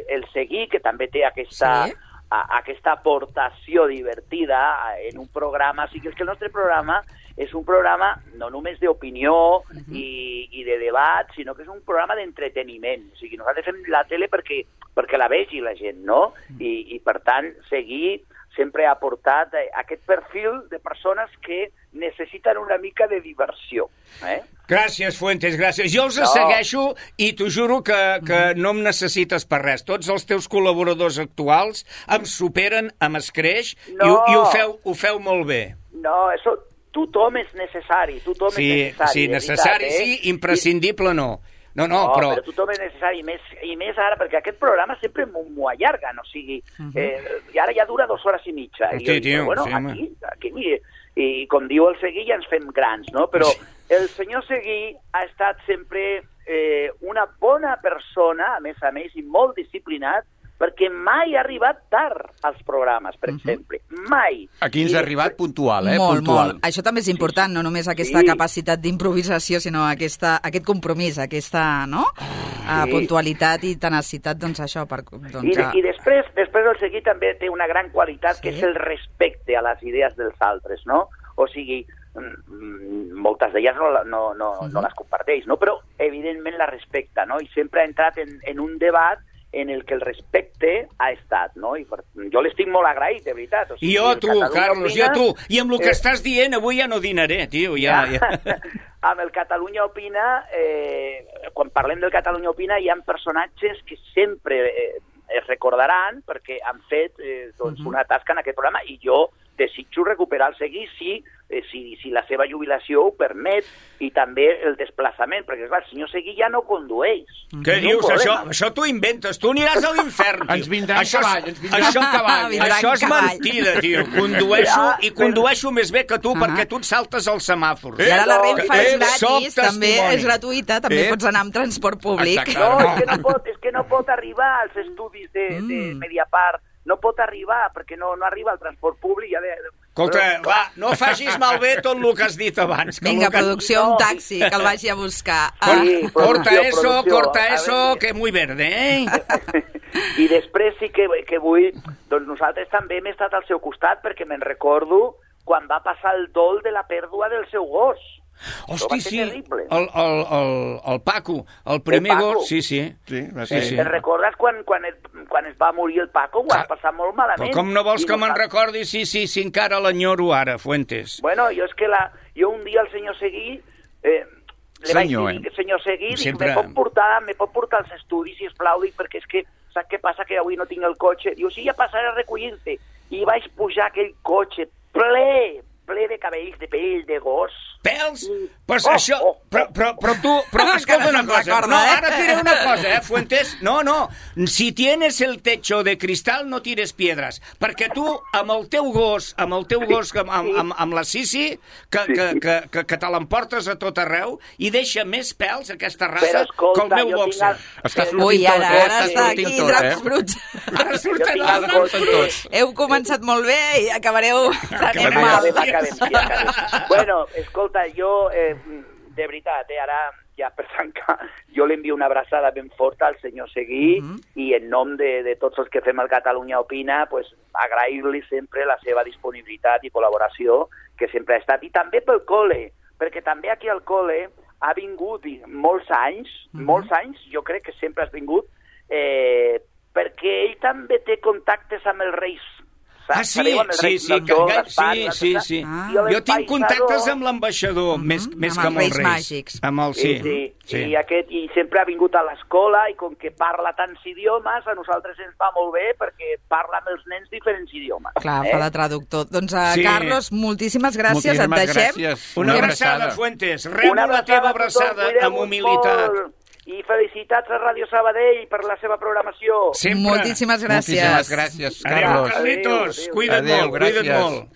Speaker 10: el Seguí, que també té aquesta,
Speaker 3: Sí.
Speaker 10: a, aquesta aportació divertida en un programa, sí que és que el nostre programa és un programa no només d'opinió i, i de debat, sinó que és un programa d'entreteniment. O sigui, nosaltres fem la tele perquè, perquè la vegi la gent, no? I, i per tant, Seguí sempre ha aportat eh, aquest perfil de persones que necessiten una mica de diversió. Eh?
Speaker 6: Gràcies, Fuentes, gràcies. Jo els
Speaker 10: No.
Speaker 6: segueixo i t'ho juro que, que no em necessites per res. Tots els teus col·laboradors actuals em superen, em escreix
Speaker 10: No.
Speaker 6: i, ho- i ho, feu, ho feu molt bé.
Speaker 10: No, això, tothom és necessari, tothom
Speaker 6: Sí,
Speaker 10: és necessari.
Speaker 6: sí,
Speaker 10: de
Speaker 6: necessari
Speaker 10: veritat,
Speaker 6: sí,
Speaker 10: eh?
Speaker 6: imprescindible no. No, no,
Speaker 10: no
Speaker 6: però...
Speaker 10: però tothom és necessari, i més, i més ara, perquè aquest programa sempre m'ho allarguen, o sigui, uh -huh. eh, i ara ja dura dues hores i mitja.
Speaker 6: Sí,
Speaker 10: I jo,
Speaker 6: tio,
Speaker 10: bueno,
Speaker 6: sí,
Speaker 10: aquí, aquí, i, i com diu el Seguí, ja ens fem grans, no? Però el senyor Seguí ha estat sempre eh, una bona persona, a més a més, i molt disciplinat, perquè mai ha arribat tard als programes, per exemple. Mai.
Speaker 4: Aquí ens ha arribat puntual, eh?
Speaker 3: Molt,
Speaker 4: puntual.
Speaker 3: molt. Això també és important, no només aquesta
Speaker 10: Sí.
Speaker 3: capacitat d'improvisació, sinó aquesta, aquest compromís, aquesta no? Uh, puntualitat i tenacitat, doncs això. Per, doncs,
Speaker 10: I, de, I després, després el Seguí també té una gran qualitat,
Speaker 3: Sí.
Speaker 10: que és el respecte a les idees dels altres, no? O sigui, mm, moltes d'elles no, no, no, uh-huh. no les comparteix, no? Però evidentment la respecta, no? I sempre ha entrat en, en un debat en el que el respecte ha estat, no? I per, jo l'estic molt agraït, de veritat. O sigui,
Speaker 6: I jo,
Speaker 10: el
Speaker 6: tu,
Speaker 10: Catalunya
Speaker 6: Carlos,
Speaker 10: Opina,
Speaker 6: jo, tu. I amb el que
Speaker 10: eh,
Speaker 6: estàs dient, avui ja no dinaré, tio, ja... ja.
Speaker 10: amb el Catalunya Opina, eh, quan parlem del Catalunya Opina, hi ha personatges que sempre eh, es recordaran perquè han fet eh, doncs,
Speaker 3: Uh-huh.
Speaker 10: una tasca en aquest programa, i jo desitjo recuperar el Seguí si, eh, si, si la seva jubilació ho permet, i també el desplaçament, perquè clar, el senyor Seguí ja no condueix.
Speaker 6: Què
Speaker 10: És un
Speaker 6: dius? Això,
Speaker 10: problema.
Speaker 6: això t'ho inventes. Tu aniràs a l'infern, tio.
Speaker 4: Ens vindrà en
Speaker 6: Això és-
Speaker 4: cavall, ens vindrà
Speaker 6: això,
Speaker 4: en cavall.
Speaker 3: Vindrà
Speaker 6: Això
Speaker 3: en
Speaker 6: és
Speaker 3: cavall.
Speaker 6: mentida, tio. Condueixo,
Speaker 10: Ja,
Speaker 6: i
Speaker 10: però-
Speaker 6: condueixo més bé que tu,
Speaker 3: Ah.
Speaker 6: perquè tu et saltes els semàfors.
Speaker 3: I ara la
Speaker 10: no,
Speaker 3: Renfe
Speaker 6: eh,
Speaker 3: és
Speaker 6: soc
Speaker 3: gratis, també
Speaker 6: testimoni.
Speaker 3: és gratuïta, també
Speaker 4: Eh?
Speaker 3: pots anar amb transport públic.
Speaker 4: Exacte.
Speaker 10: No,
Speaker 4: No.
Speaker 10: és que no pot, és que no pot arribar als estudis de,
Speaker 3: Mm.
Speaker 10: de Mediapart, no pot arribar, perquè no, no arriba al transport públic. Ja de,
Speaker 6: Escolta,
Speaker 10: però,
Speaker 6: va, no facis malbé tot el que has dit abans. Que
Speaker 3: Vinga,
Speaker 6: el que...
Speaker 3: producció,
Speaker 10: No,
Speaker 3: un taxi, que el vagi a buscar.
Speaker 6: Cor-
Speaker 3: Ah,
Speaker 10: Sí,
Speaker 6: corta
Speaker 10: producció,
Speaker 6: eso,
Speaker 10: producció.
Speaker 6: corta
Speaker 10: A
Speaker 6: eso,
Speaker 10: veure.
Speaker 6: que muy verde, eh?
Speaker 10: I després sí que, que vull... Doncs nosaltres també hem estat al seu costat, perquè me'n recordo quan va passar el dol de la pèrdua del seu gos. Això va
Speaker 6: Hosti,
Speaker 10: ser
Speaker 6: sí,
Speaker 10: terrible.
Speaker 6: el, el, el, el Paco, el primer
Speaker 10: El Paco.
Speaker 6: gos, sí, sí.
Speaker 4: Sí, va
Speaker 6: Sí,
Speaker 4: ser.
Speaker 6: sí.
Speaker 10: Te'n recordes quan, quan, es, quan es va morir el Paco? Ho vas
Speaker 6: Clar.
Speaker 10: passar molt malament.
Speaker 6: Però com no vols
Speaker 10: I
Speaker 6: que me'n
Speaker 10: nosaltres-
Speaker 6: recordi? Sí, sí, sí, encara l'enyoro ara, Fuentes.
Speaker 10: Bueno, jo és que la, jo un dia al senyor Seguí eh, li
Speaker 4: Senyor,
Speaker 10: vaig dir,
Speaker 4: eh?
Speaker 10: senyor Seguí, dic,
Speaker 6: Sempre-
Speaker 10: me pot portar, me pot portar als estudis, si plau, dic, perquè és que saps què passa, que avui no tinc el cotxe? Diu, sí, ja passaré a recollir-te. I vaig pujar aquell cotxe ple, ple de cabells de pell de gos.
Speaker 6: Pèls?
Speaker 10: Mm.
Speaker 6: Però
Speaker 10: Oh,
Speaker 6: això...
Speaker 10: oh, oh.
Speaker 6: Però, però, però tu... Però escolta una
Speaker 3: se'n
Speaker 6: cosa.
Speaker 3: recorda,
Speaker 6: No,
Speaker 3: eh?
Speaker 6: ara et diré una cosa, eh, Fuentes? No, no. Si tienes el techo de cristal, no tires piedres. Perquè tu, amb el teu gos, amb el teu gos, amb, amb, amb, amb la Sisi, que, que, que, que, que te l'emportes a tot arreu, i deixa més pèls, aquesta raça,
Speaker 10: Però escolta,
Speaker 6: que el meu
Speaker 10: jo tinc
Speaker 6: boxer.
Speaker 10: el-
Speaker 4: Està
Speaker 10: eh,
Speaker 4: sortint
Speaker 3: Ui,
Speaker 4: tot,
Speaker 3: ara,
Speaker 4: eh?
Speaker 3: ara
Speaker 4: Està
Speaker 3: està
Speaker 4: sortint
Speaker 3: aquí,
Speaker 4: tot,
Speaker 3: draps
Speaker 4: eh?
Speaker 3: bruts.
Speaker 6: Ara surten
Speaker 10: Jo tinc
Speaker 6: els
Speaker 10: el
Speaker 6: draps
Speaker 10: cotxe.
Speaker 6: bruts.
Speaker 3: Heu començat molt bé i acabareu prenent
Speaker 6: Acabem
Speaker 3: mal.
Speaker 10: Acabem, acabem, sí, acabem. Bueno, escolta, jo, eh, de veritat, eh, ara ja per tancar, jo li envio una abraçada ben forta al senyor Seguí,
Speaker 3: Mhm.
Speaker 10: i en nom de, de tots els que fem el Catalunya Opina, pues, agrair-li sempre la seva disponibilitat i col·laboració, que sempre ha estat, i també pel col·le, perquè també aquí al col·le ha vingut i molts anys,
Speaker 3: Mhm.
Speaker 10: molts anys, jo crec que sempre has vingut, eh, perquè ell també té contactes amb els reis.
Speaker 6: Ah, sí,
Speaker 10: Sabeu, amb el
Speaker 6: sí,
Speaker 10: rei
Speaker 6: sí,
Speaker 10: Salvador,
Speaker 6: que,
Speaker 10: Gaspar,
Speaker 6: sí,
Speaker 10: i
Speaker 6: sí,
Speaker 10: l'altre.
Speaker 6: sí.
Speaker 3: Ah.
Speaker 10: I
Speaker 6: Jo tinc
Speaker 10: l'empeïsador-
Speaker 6: contactes amb l'ambaixador, més, més
Speaker 3: amb
Speaker 6: que
Speaker 3: els
Speaker 6: amb els
Speaker 3: Reis
Speaker 6: reis.
Speaker 3: Màgics.
Speaker 6: Amb el, sí,
Speaker 10: sí,
Speaker 6: sí.
Speaker 10: I, aquest, i sempre ha vingut a l'escola, i com que parla tants idiomes, a nosaltres ens va molt bé perquè parla amb els nens diferents idiomes.
Speaker 3: Clar,
Speaker 10: eh?
Speaker 3: fa de traductor. Doncs, uh,
Speaker 6: Sí.
Speaker 3: Carlos, moltíssimes gràcies,
Speaker 4: Moltíssimes
Speaker 3: et deixem.
Speaker 4: gràcies.
Speaker 6: Una
Speaker 4: Una
Speaker 6: abraçada,
Speaker 4: abraçada.
Speaker 6: Fuentes. Rebo
Speaker 10: Una
Speaker 6: la teva
Speaker 10: a tothom,
Speaker 6: abraçada
Speaker 10: cuideu-vos
Speaker 6: amb humilitat.
Speaker 10: molt, I felicitats a Ràdio Sabadell per la seva programació.
Speaker 6: Sempre.
Speaker 3: Moltíssimes gràcies.
Speaker 4: Moltíssimes gràcies,
Speaker 6: Adéu,
Speaker 4: Carlos.
Speaker 6: Carlitos.
Speaker 10: Adéu, adéu.
Speaker 6: Cuida't
Speaker 4: Adéu,
Speaker 6: molt, cuida't
Speaker 4: gràcies.
Speaker 6: molt.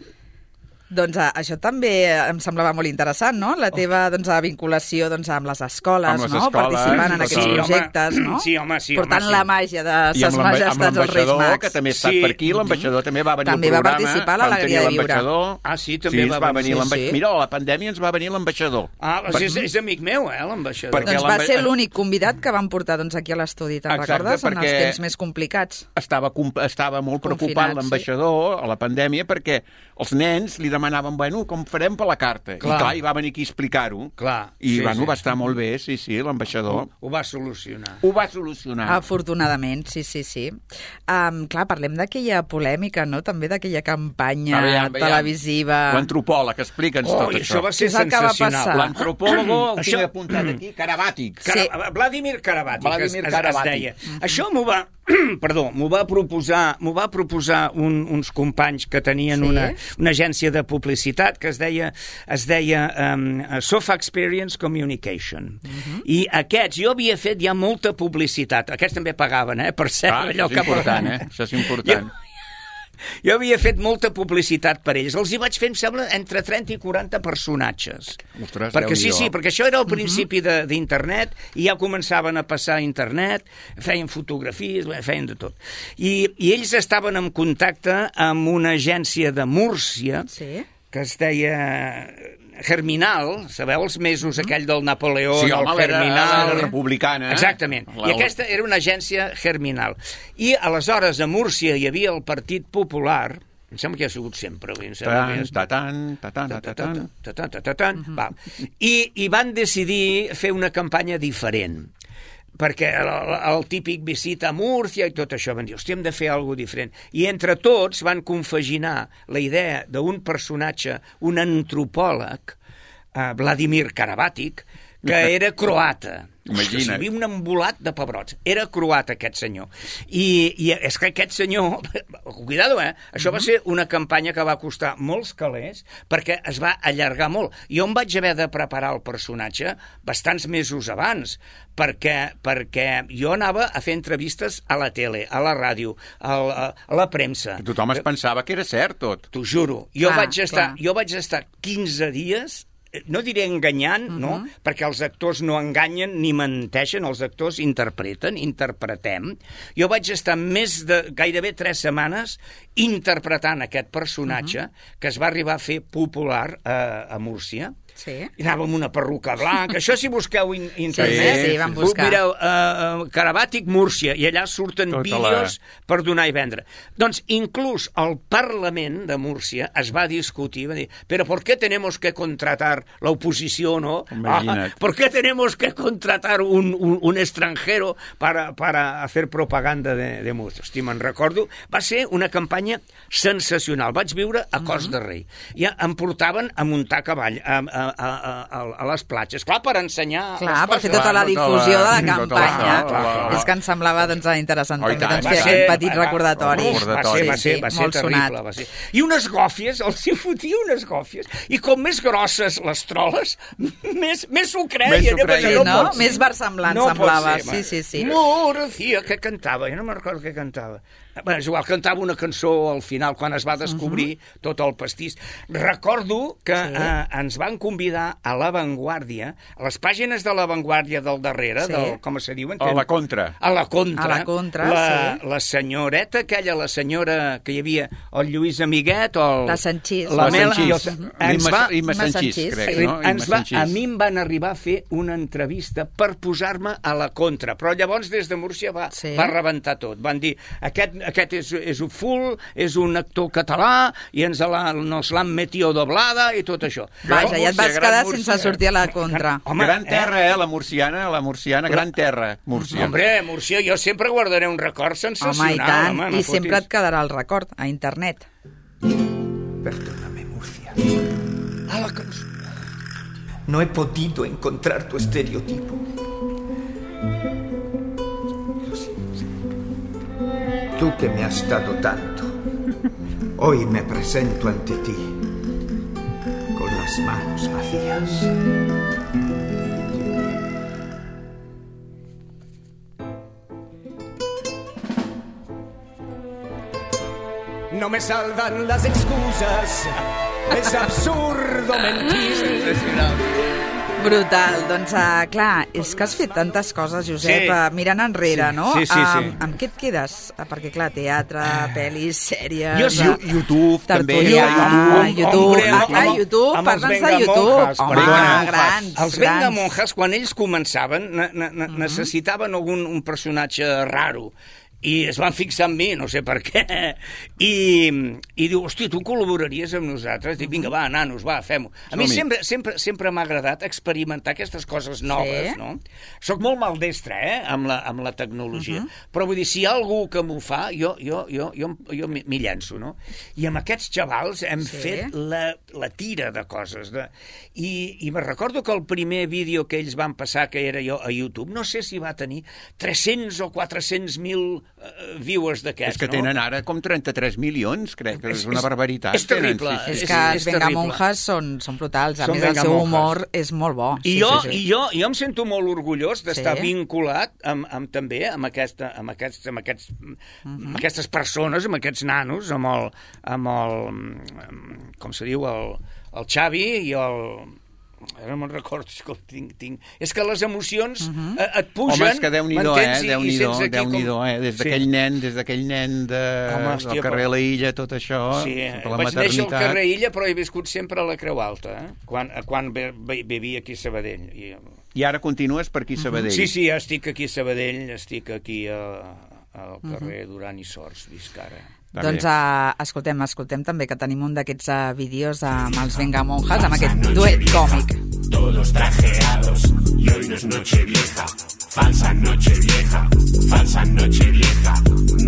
Speaker 3: Doncs uh, això també em semblava molt interessant, no? La teva doncs, uh, vinculació doncs, amb les escoles,
Speaker 4: Amb les
Speaker 3: no?
Speaker 4: escoles,
Speaker 3: Participant en
Speaker 4: tot
Speaker 3: aquests
Speaker 4: això.
Speaker 3: projectes,
Speaker 6: Sí, home,
Speaker 3: no?
Speaker 6: sí, home, sí,
Speaker 3: Portant
Speaker 6: home, sí.
Speaker 3: la màgia de
Speaker 4: I
Speaker 3: ses
Speaker 4: amb l'amba- amb
Speaker 3: majestats dels Reis
Speaker 4: l'ambaixador,
Speaker 3: Mags.
Speaker 4: que també ha estat
Speaker 6: Sí.
Speaker 4: per aquí, l'ambaixador també va venir
Speaker 3: També
Speaker 4: al
Speaker 3: va
Speaker 4: programa.
Speaker 3: participar a
Speaker 4: vam
Speaker 3: l'Alegria
Speaker 4: tenir
Speaker 3: de Viure.
Speaker 4: l'ambaixador.
Speaker 6: Ah, sí, també
Speaker 4: sí,
Speaker 6: va
Speaker 4: ens va
Speaker 6: venir,
Speaker 4: venir.
Speaker 3: sí,
Speaker 4: l'amba-
Speaker 3: sí.
Speaker 4: Mira, a la pandèmia ens va venir l'ambaixador.
Speaker 6: Ah, doncs és, és amic meu, eh, l'ambaixador.
Speaker 4: Perquè
Speaker 3: Doncs va
Speaker 4: l'amba-
Speaker 3: ser l'únic convidat que van portar doncs, aquí a l'estudi, te'n
Speaker 4: Exacte,
Speaker 3: recordes? En els
Speaker 4: perquè-
Speaker 3: temps més complicats.
Speaker 4: Estava, com- estava molt
Speaker 3: Confinat,
Speaker 4: preocupat
Speaker 3: sí.
Speaker 4: l'ambaixador a la pandèmia perquè els nens li demanaven, bueno, com farem per la carta?
Speaker 6: Clar.
Speaker 4: I clar, i va venir aquí a explicar-ho.
Speaker 6: Clar,
Speaker 4: I,
Speaker 6: sí,
Speaker 4: bueno,
Speaker 6: sí.
Speaker 4: va estar molt bé, sí, sí, l'ambaixador.
Speaker 6: Ho va solucionar.
Speaker 4: Ho va solucionar.
Speaker 3: Afortunadament, sí, sí, sí. Um, clar, parlem d'aquella polèmica, no? També d'aquella campanya
Speaker 4: Aviam, aviam.
Speaker 3: televisiva.
Speaker 4: L'antropòleg, explica'ns
Speaker 6: Oh,
Speaker 4: tot
Speaker 6: i
Speaker 4: això.
Speaker 6: això va ser
Speaker 3: Què és el que va
Speaker 6: sensacional.
Speaker 3: passar?
Speaker 4: L'antropòlogo, el
Speaker 6: Això-
Speaker 4: tinc apuntat aquí, Karabàtic.
Speaker 6: Cara...
Speaker 3: Sí.
Speaker 6: Vladimir Karabàtic,
Speaker 4: Vladimir
Speaker 6: es, es,
Speaker 4: Karabàtic.
Speaker 6: es deia. Això m'ho va, perdó, m'ho va proposar, m'ho va proposar un, uns companys que tenien sí? una, una agència de publicitat que es deia, es deia um, Sofa Experience Communication. Uh-huh. I aquests, jo havia fet ja molta publicitat. Aquests també pagaven, eh? Per cert,
Speaker 4: ah,
Speaker 6: allò
Speaker 4: això és
Speaker 6: que
Speaker 4: important, eh? Això és important.
Speaker 6: Jo, Jo havia fet molta publicitat per ells. Els hi vaig fer, em sembla, entre trenta i quaranta personatges.
Speaker 4: Ostres,
Speaker 6: perquè sí, sí, perquè això era el principi
Speaker 3: uh-huh.
Speaker 6: d'internet i ja començaven a passar a internet, feien fotografies, feien de tot. I, i ells estaven en contacte amb una agència de Múrcia
Speaker 3: sí?
Speaker 6: que es deia Germinal, sabeu els mesos mm-hmm. aquell del Napoleó,
Speaker 4: sí,
Speaker 6: el
Speaker 4: home,
Speaker 6: Germinal...
Speaker 4: Era, era republicana.
Speaker 6: Exactament.
Speaker 4: La...
Speaker 6: I aquesta era una agència Germinal. I aleshores a Múrcia hi havia el Partit Popular, em sembla que hi ha sigut sempre.
Speaker 4: Tatan, tatan, tatan,
Speaker 6: tatan, I, i van decidir fer una campanya diferent, perquè el, el típic visita a Múrcia i tot això, van dir, hòstia, hem de fer alguna diferent. I entre tots van confaginar la idea d'un personatge, un antropòleg, eh, Vladimir Karabatic, que era croata.
Speaker 4: Imagina't.
Speaker 6: Hi havia un embolat de pebrots. Era croat, aquest senyor. I, i és que aquest senyor... Cuidado, eh? Això va ser una campanya que va costar molts calés perquè es va allargar molt. Jo em vaig haver de preparar el personatge bastants mesos abans perquè, perquè jo anava a fer entrevistes a la tele, a la ràdio, a la, a la premsa.
Speaker 4: Tothom es pensava que era cert, tot.
Speaker 6: T'ho juro. Jo,
Speaker 3: ah,
Speaker 6: vaig estar,
Speaker 3: clar.
Speaker 6: jo vaig estar quinze dies... No diré enganyant, uh-huh. no? Perquè els actors no enganyen ni menteixen, els actors interpreten, interpretem. Jo vaig estar més de gairebé tres setmanes interpretant aquest personatge uh-huh. que es va arribar a fer popular a, a Múrcia.
Speaker 3: Sí.
Speaker 6: I anava amb una perruca blanca. Això si busqueu in internet,
Speaker 3: sí, sí, vam buscar.
Speaker 6: mireu uh, Karabatic Múrcia i allà surten
Speaker 4: Tota
Speaker 6: vídeos
Speaker 4: la...
Speaker 6: per donar i vendre. Doncs inclús el Parlament de Múrcia es va discutir, va dir, però ¿por qué tenemos que contratar la oposició, no? Ah, ¿por qué tenemos que contratar un, un, un extranjero para, para hacer propaganda de, de Múrcia? Hosti, me'n recordo. Va ser una campanya sensacional. Vaig viure a Cos de Rei. Ja em portaven a muntar a cavall, a, a A, a, a, a les platges, clar, per ensenyar
Speaker 3: clar, per
Speaker 6: coses.
Speaker 3: fer tota la difusió
Speaker 4: la,
Speaker 3: de la campanya
Speaker 4: la, la, la, la.
Speaker 3: és que em semblava doncs, interessant
Speaker 4: oh,
Speaker 3: també doncs,
Speaker 6: va
Speaker 3: fer
Speaker 6: ser,
Speaker 3: aquest petit
Speaker 6: va,
Speaker 3: recordatori
Speaker 6: va, va ser, va ser, va ser
Speaker 3: molt
Speaker 6: terrible,
Speaker 3: sonat.
Speaker 6: va ser. I unes gòfies, els hi fotia unes gòfies, i com més grosses les troles, més, més s'ho creien,
Speaker 4: més,
Speaker 3: sí,
Speaker 6: no,
Speaker 3: no?
Speaker 6: no
Speaker 3: més versemblant
Speaker 6: no
Speaker 3: semblava
Speaker 6: ser,
Speaker 3: sí, sí, sí.
Speaker 6: Múrcia, que cantava, jo no me'n recordo què cantava. Bé, és igual, cantava una cançó al final, quan es va descobrir uh-huh. tot el pastís. Recordo que sí. eh, ens van convidar a La Vanguardia, a les pàgines de La Vanguardia del darrere, sí. del, com se diuen?
Speaker 4: A la Contra.
Speaker 6: A la Contra.
Speaker 3: A la Contra,
Speaker 6: la,
Speaker 3: sí.
Speaker 6: La senyoreta aquella, la senyora que hi havia, el Lluís Amiguet, o el...
Speaker 3: La Sanchís.
Speaker 6: La,
Speaker 4: la
Speaker 6: Mel...
Speaker 4: Sanchís.
Speaker 6: Uh-huh. Ens va...
Speaker 4: Imma Sanchís, crec,
Speaker 3: sí.
Speaker 4: no?
Speaker 6: Ens va... A mi em van arribar a fer una entrevista per posar-me a la Contra, però llavors des de Múrcia va, sí. va rebentar tot. Van dir, aquest, aquest és, és un full, és un actor català i ens la, nos l'han metido doblada i tot això.
Speaker 3: Vaja, ja et vas
Speaker 4: Múrcia,
Speaker 3: quedar
Speaker 4: Múrcia.
Speaker 3: sense sortir a la Contra.
Speaker 6: Home,
Speaker 4: gran terra, eh, la murciana, la murciana, gran terra, Múrcia.
Speaker 6: Hombre, Múrcia, jo sempre guardaré un record sensacional.
Speaker 3: Home, i tant,
Speaker 6: home, no
Speaker 3: i sempre
Speaker 6: fotis.
Speaker 3: et quedarà el record a internet.
Speaker 11: Perdóname, Murcia. A la canción. No he podido encontrar tu estereotipo. Lo siento. Tú que me has dado tanto, hoy me presento ante ti con las manos vacías.
Speaker 9: No me salvan las excusas. Es absurdo mentir.
Speaker 3: Brutal, doncs uh, clar, és que has fet tantes coses, Josep,
Speaker 6: Sí.
Speaker 3: uh, mirant enrere,
Speaker 6: Sí.
Speaker 3: no?
Speaker 6: Sí, sí, sí.
Speaker 3: Uh, amb què et quedes? Uh, perquè clar, teatre, pel·lis, sèries...
Speaker 6: Jo sí,
Speaker 3: uh,
Speaker 4: YouTube, també.
Speaker 3: tertulià,
Speaker 6: YouTube,
Speaker 3: YouTube,
Speaker 6: hombre,
Speaker 3: ah,
Speaker 6: amb-
Speaker 3: clar,
Speaker 6: amb-
Speaker 3: YouTube,
Speaker 6: amb els
Speaker 3: parla'ns de
Speaker 6: Vengamonjas,
Speaker 3: YouTube. Home,
Speaker 6: Vengamonjas.
Speaker 3: grans,
Speaker 6: Els
Speaker 3: grans.
Speaker 6: Vengamonjas, quan ells començaven, ne ne ne necessitaven algun un personatge raro, i es van fixar en mi, no sé per què, i, i diu, hosti, tu col·laboraries amb nosaltres? Dic, vinga, va, nanos, va, fem-ho. A mi
Speaker 4: Som-hi.
Speaker 6: sempre, sempre, sempre m'ha agradat experimentar aquestes coses noves,
Speaker 3: Sí.
Speaker 6: no? Soc molt maldestre, eh?, amb la, amb la tecnologia, però vull dir, si hi ha algú que m'ho fa, jo, jo, jo, jo, jo m'hi m'hi llenço, no? I amb aquests xavals hem
Speaker 3: Sí.
Speaker 6: fet la, la tira de coses. De... I, I me recordo que el primer vídeo que ells van passar, que era jo a YouTube, no sé si va tenir tres-cents o quatre-cents mil uh, viewers d'aquests,
Speaker 4: És que tenen
Speaker 6: no?
Speaker 4: ara com trenta-tres milions, crec, que és,
Speaker 6: És-
Speaker 4: és una barbaritat.
Speaker 6: és terrible.
Speaker 4: Tenen, sí,
Speaker 3: És
Speaker 4: sí,
Speaker 3: que
Speaker 4: sí.
Speaker 3: els Vengamonjas són, són brutals. A
Speaker 6: Són
Speaker 3: més, el seu
Speaker 6: Vengamonjas.
Speaker 3: humor és molt bo.
Speaker 6: I,
Speaker 3: Sí,
Speaker 6: jo,
Speaker 3: sí, sí.
Speaker 6: i jo, jo em sento molt orgullós d'estar
Speaker 3: Sí.
Speaker 6: vinculat amb, amb, també amb, aquesta, amb, aquests, amb, aquests,
Speaker 3: Mhm.
Speaker 6: amb aquestes persones, amb aquests nanos, amb el, amb el amb, com se diu, el, el Xavi i el... Ara no me'n recordo, escolta, tinc, tinc... És que les emocions
Speaker 3: Mhm.
Speaker 6: eh, et pugen...
Speaker 4: Home, és que Déu-n'hi-do, eh?
Speaker 6: m'entens? I- i
Speaker 4: Déu-n'hi-do,
Speaker 6: sents aquí
Speaker 4: Déu-n'hi-do,
Speaker 6: com-
Speaker 4: eh? Des d'aquell
Speaker 6: Sí.
Speaker 4: nen, des d'aquell nen de,
Speaker 6: Home, hòstia,
Speaker 4: del carrer
Speaker 6: però-
Speaker 4: La Illa, tot això,
Speaker 6: Sí,
Speaker 4: tota la
Speaker 6: vaig néixer al
Speaker 4: maternitat.
Speaker 6: carrer Illa, però he viscut sempre a la Creu Alta, eh? quan, quan ve- ve- vivia aquí a Sabadell. I,
Speaker 4: I ara continues per aquí a Sabadell.
Speaker 6: Sí, sí, estic aquí a Sabadell, estic aquí a, al carrer Duran i Sors, visc ara.
Speaker 3: Doncs uh, escoltem, escoltem també que tenim un d'aquests uh, vídeos amb els Vengamonjas, amb aquest duet còmic.
Speaker 12: Todos trajeados y hoy no es noche vieja, falsa noche vieja, falsa noche vieja.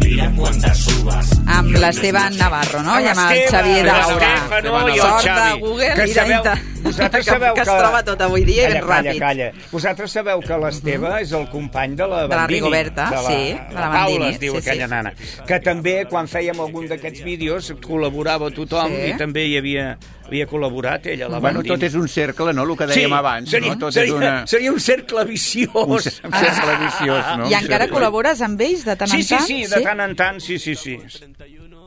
Speaker 12: Mira cuántas uvas.
Speaker 3: Amb l'Esteban Navarro, no? I amb el
Speaker 6: L'Esteve,
Speaker 3: Xavier Daura.
Speaker 6: l'Estefano i el
Speaker 3: Sort de
Speaker 6: Xavi.
Speaker 3: Google
Speaker 6: Que
Speaker 3: i
Speaker 6: sabeu-
Speaker 3: d'inter-
Speaker 6: vosaltres
Speaker 3: que,
Speaker 6: sabeu
Speaker 3: que es
Speaker 6: que-
Speaker 3: troba tot avui dia i
Speaker 6: Calla,
Speaker 3: ben
Speaker 6: calla,
Speaker 3: ràpid.
Speaker 6: calla. Vosaltres sabeu que l'Esteve és el company de la
Speaker 3: De la
Speaker 6: Bandini.
Speaker 3: Rigoberta,
Speaker 6: de la,
Speaker 3: sí, de la
Speaker 6: la
Speaker 3: Bandini,
Speaker 6: Paula es diu
Speaker 3: sí,
Speaker 6: aquella
Speaker 3: sí.
Speaker 6: nana. Que també, quan fèiem algun d'aquests vídeos, col·laborava tothom
Speaker 3: Sí.
Speaker 6: i també hi havia, havia col·laborat ella, la
Speaker 4: Bueno,
Speaker 6: Bandini.
Speaker 4: tot és un cercle, no?, el que dèiem
Speaker 6: sí,
Speaker 4: abans.
Speaker 6: seria,
Speaker 4: no? Tot
Speaker 6: seria,
Speaker 4: és una...
Speaker 6: seria un cercle viciós.
Speaker 4: Un cer- un cercle viciós, no?
Speaker 3: I encara col·labores amb ells de tant
Speaker 6: Sí,
Speaker 3: en
Speaker 6: sí,
Speaker 3: tant?
Speaker 6: sí, de tant en tant, sí, sí, sí.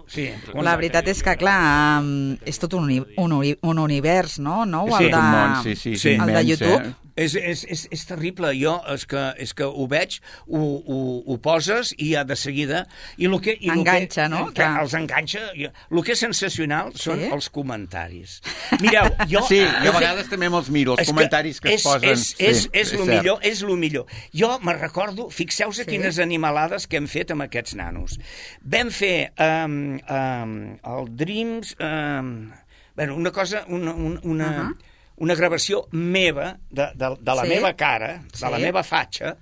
Speaker 6: Sí.
Speaker 3: La veritat és que, clar, um, és tot un, uni un, uni un univers, no? nou
Speaker 6: Sí.
Speaker 3: el de,
Speaker 6: Un
Speaker 4: món, sí, sí,
Speaker 6: sí,
Speaker 3: el de
Speaker 4: immens,
Speaker 3: YouTube.
Speaker 4: eh?
Speaker 6: És, és, és, és terrible. Jo, és que, és que ho veig, ho, ho, ho poses i ja de seguida... I lo que, i lo
Speaker 3: Enganxa,
Speaker 6: que,
Speaker 3: no?
Speaker 6: Que els enganxa. El que és sensacional són
Speaker 3: Sí?
Speaker 6: els comentaris. Mireu, jo...
Speaker 4: Sí, i
Speaker 6: he
Speaker 4: a
Speaker 6: fet-
Speaker 4: vegades també me'ls miro, els
Speaker 6: És que
Speaker 4: comentaris que, es
Speaker 6: és,
Speaker 4: posen.
Speaker 6: És, és,
Speaker 4: sí,
Speaker 6: és, lo
Speaker 4: cert.
Speaker 6: millor, és lo millor. Jo me'n recordo, fixeu-vos
Speaker 3: Sí?
Speaker 6: sí? quines animalades que hem fet amb aquests nanos. Vam fer um, um, el Dreams... Um, bueno, una cosa, una... una, una uh -huh. una gravació meva, de, de, de la
Speaker 3: Sí?
Speaker 6: meva cara, de
Speaker 3: Sí?
Speaker 6: la meva fatxa...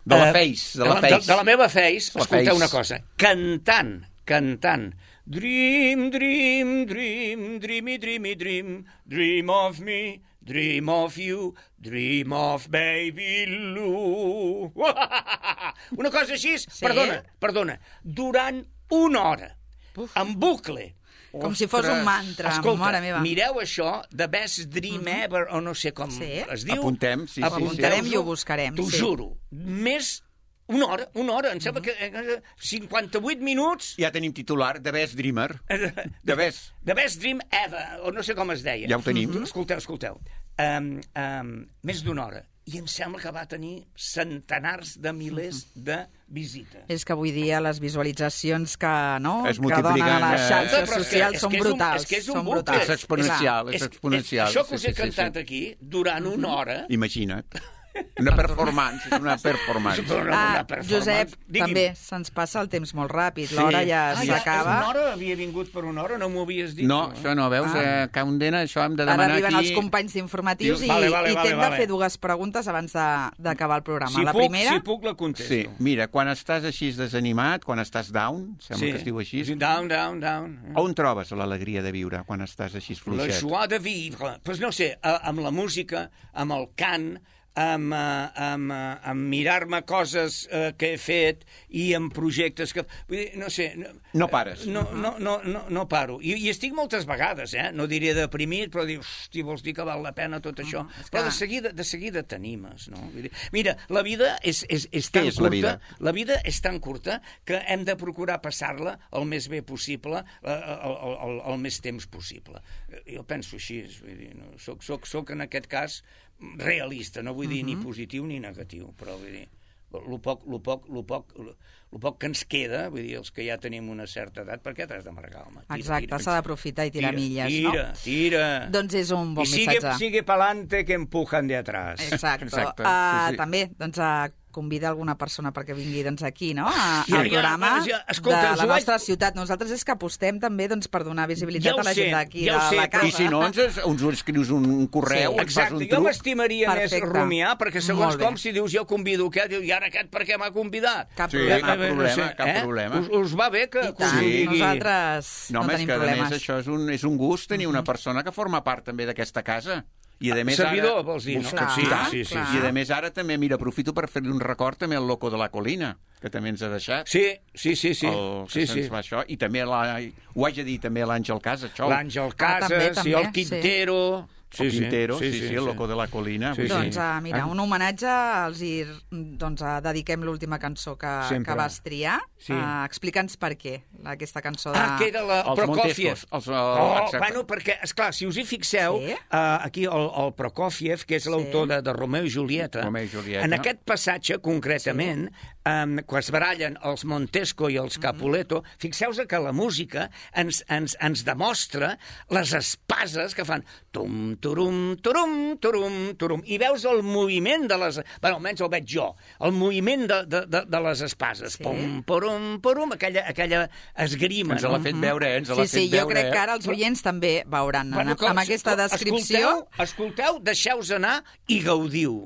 Speaker 4: De la
Speaker 6: eh,
Speaker 4: face, de
Speaker 6: de
Speaker 4: la
Speaker 6: la,
Speaker 4: face.
Speaker 6: de, de la meva face,
Speaker 4: La
Speaker 6: escolteu
Speaker 4: face.
Speaker 6: una cosa, cantant, cantant, Dream, dream, dream, dreamy, dreamy, dream, dream of me, dream of you, dream of baby Lou. Una cosa així,
Speaker 3: Sí?
Speaker 6: perdona, perdona, durant una hora,
Speaker 3: Uf.
Speaker 6: en bucle.
Speaker 3: Com si fos un mantra,
Speaker 6: Escolta,
Speaker 3: mare meva.
Speaker 6: mireu això, The Best Dream Ever, o no sé com
Speaker 3: Sí.
Speaker 6: es diu.
Speaker 4: Apuntem, sí, sí,
Speaker 3: Ho apuntarem
Speaker 6: Apunteu-vos-ho.
Speaker 3: i ho buscarem,
Speaker 6: T'ho
Speaker 3: sí.
Speaker 6: juro. Més una hora, una hora, em sembla que eh, cinquanta-vuit minuts
Speaker 4: Ja tenim titular, The Best Dreamer. The Best.
Speaker 6: The Best Dream Ever, o no sé com es deia.
Speaker 4: Ja ho tenim.
Speaker 6: Mm -hmm. Escolteu, escolteu. Um, um, més d'una hora. I em sembla que va tenir centenars de milers de visites.
Speaker 3: És que avui dia les visualitzacions que, no,
Speaker 4: Es
Speaker 3: que donen a
Speaker 4: multipliquen,
Speaker 3: les
Speaker 4: eh?
Speaker 3: xarxes
Speaker 6: Però és que-
Speaker 3: socials
Speaker 6: és
Speaker 3: són
Speaker 6: que és un-
Speaker 3: brutals.
Speaker 6: és que és un
Speaker 3: són
Speaker 6: bucle.
Speaker 3: brutals.
Speaker 4: És exponencial, és
Speaker 6: És-
Speaker 4: exponencial.
Speaker 6: Això que us
Speaker 4: sí,
Speaker 6: he
Speaker 4: sí, sí,
Speaker 6: cantat
Speaker 4: sí.
Speaker 6: aquí, durant una hora...
Speaker 4: Imagina't. Una performance, és una performance.
Speaker 6: Una- una
Speaker 3: Ah,
Speaker 6: performance.
Speaker 3: Josep,
Speaker 6: Digui'm.
Speaker 3: també se'ns passa el temps molt ràpid.
Speaker 4: Sí.
Speaker 3: L'hora ja
Speaker 6: Ah, ja,
Speaker 3: s'acaba.
Speaker 6: una hora havia vingut per una hora, no m'ho havies dit.
Speaker 4: No,
Speaker 6: tu, eh?
Speaker 4: això no, veus?
Speaker 3: Ah.
Speaker 4: Eh, Caundena, això hem de
Speaker 3: Ara
Speaker 4: demanar
Speaker 3: arriben
Speaker 4: aquí...
Speaker 3: els companys d'informatius i,
Speaker 6: Vale, vale,
Speaker 3: i
Speaker 6: vale,
Speaker 3: t'hem
Speaker 6: vale.
Speaker 3: de fer dues preguntes abans de- d'acabar el programa.
Speaker 6: Si
Speaker 3: la
Speaker 6: puc,
Speaker 3: primera...
Speaker 6: si puc, la contesto.
Speaker 4: Sí, mira, quan estàs així desanimat, quan estàs down, sembla que es diu així,
Speaker 6: Sí, down, down, down.
Speaker 4: on trobes l'alegria de viure quan estàs així
Speaker 6: La
Speaker 4: fluixet?
Speaker 6: joie de vivre. Pues no sé, a- amb la música, amb el cant, amb, eh, amb, eh, amb mirar-me coses eh, que he fet i amb projectes que... Vull dir, no sé... No,
Speaker 4: No pares.
Speaker 6: No, no, no, no, no paro. I, I estic moltes vegades, eh? No diré deprimit, però dius, hosti, vols dir que val la pena tot això?
Speaker 3: és
Speaker 6: Però
Speaker 3: que-
Speaker 6: de seguida, de seguida t'animes, no? Vull dir, mira, la vida és, és, és
Speaker 4: Què
Speaker 6: tan
Speaker 4: és
Speaker 6: curta...
Speaker 4: la vida?
Speaker 6: La vida és tan curta que hem de procurar passar-la el més bé possible, eh, el, el, el, el més temps possible. Jo penso així, vull dir, no? soc, soc, soc en aquest cas realista, no vull dir ni positiu ni negatiu, però vull dir, el poc, el poc, el poc, el poc que ens queda, vull dir, els que ja tenim una certa edat, per què t'has d'amargar, home? Tira,
Speaker 3: Exacte,
Speaker 6: tira.
Speaker 3: s'ha d'aprofitar i tirar
Speaker 6: Tira,
Speaker 3: milles,
Speaker 6: tira,
Speaker 3: no?
Speaker 6: Tira,
Speaker 3: Doncs és un bon
Speaker 6: I sigue,
Speaker 3: missatge.
Speaker 6: sigue pa'lante que empujan de atrás.
Speaker 3: Exacte.
Speaker 4: Exacte,
Speaker 3: Uh,
Speaker 4: sí, sí.
Speaker 3: També, doncs, uh, convida alguna persona perquè vingui doncs, aquí, no?, a,
Speaker 6: Ja,
Speaker 3: al
Speaker 6: ja,
Speaker 3: programa
Speaker 6: ja, escolta,
Speaker 3: de
Speaker 6: us
Speaker 3: la
Speaker 6: ho vaig-
Speaker 3: nostra ciutat. Nosaltres és que apostem també doncs, per donar visibilitat
Speaker 6: Ja ho
Speaker 3: a la
Speaker 6: sé,
Speaker 3: gent d'aquí,
Speaker 6: ja ho
Speaker 3: de
Speaker 6: sé,
Speaker 3: la
Speaker 6: però-
Speaker 3: casa.
Speaker 4: I si no, ens, ens ho escrius un correu,
Speaker 3: Sí,
Speaker 4: ens fas un
Speaker 6: Exacte, jo
Speaker 4: truc.
Speaker 6: m'estimaria més
Speaker 3: Perfecte.
Speaker 6: rumiar, perquè segons
Speaker 3: Molt bé.
Speaker 6: com si dius jo convido aquest, diu, i ara aquest per què m'ha convidat?
Speaker 3: Cap
Speaker 4: Sí,
Speaker 3: problema.
Speaker 4: cap problema,
Speaker 6: eh?
Speaker 4: cap problema.
Speaker 6: Us, us va bé que,
Speaker 3: I
Speaker 6: que
Speaker 3: tant,
Speaker 6: us ho digui?
Speaker 3: nosaltres
Speaker 4: No,
Speaker 3: no,
Speaker 4: home, és
Speaker 3: tenim
Speaker 4: que a
Speaker 3: problemes.
Speaker 4: més això és un, és un gust tenir una persona que forma part també d'aquesta casa. I a més
Speaker 6: servidor,
Speaker 4: ara...
Speaker 6: vols dir, no?
Speaker 4: Clar,
Speaker 6: Sí,
Speaker 4: clar,
Speaker 6: sí, sí,
Speaker 4: clar. I a més ara també, mira, aprofito per fer-li un record també al Loco de la Colina, que també ens ha deixat.
Speaker 6: Sí, sí, sí, sí.
Speaker 4: El,
Speaker 6: sí, sí.
Speaker 4: Va això. I també, la, ho haig de dir, també l'Àngel Casas, això.
Speaker 6: L'Àngel Casas, ah, també, també, sí, el Quintero... Sí.
Speaker 4: El Quintero, sí,
Speaker 6: sí,
Speaker 4: sí,
Speaker 6: sí,
Speaker 4: sí, el
Speaker 6: sí.
Speaker 4: Loco de la Colina.
Speaker 3: Sí, doncs, uh, mira, un homenatge, els hi doncs, uh, dediquem l'última cançó que, que vas triar. Sí. Uh, Explica'ns per què, aquesta cançó de...
Speaker 6: Ah, que era la
Speaker 4: els
Speaker 6: Prokofiev.
Speaker 4: Els, uh,
Speaker 6: oh, bueno, perquè, esclar, si us hi fixeu, sí? uh, aquí el, el Prokofiev, que és l'autor sí. de, de Romeo i Julieta,
Speaker 4: Romeo i Julieta,
Speaker 6: en aquest passatge, concretament, sí. um, quan es barallen els Montesco i els Capuleto, mm-hmm. fixeu-vos que la música ens, ens, ens demostra les espases que fan tum, turum, turum, turum, turum, i veus el moviment de les... Bueno, almenys el veig jo, el moviment de, de, de, de les espases. Sí. Pum, porum, porum, aquella, aquella esgrima.
Speaker 4: Ens l'ha fet veure, eh? Ens
Speaker 3: sí,
Speaker 4: l'ha
Speaker 3: sí,
Speaker 4: fet
Speaker 3: jo
Speaker 4: veure,
Speaker 3: crec que
Speaker 4: eh?
Speaker 3: ara els oients també veuran
Speaker 6: bueno,
Speaker 3: amb, amb aquesta descripció.
Speaker 6: Escolteu, escolteu, deixeu-vos anar i gaudiu.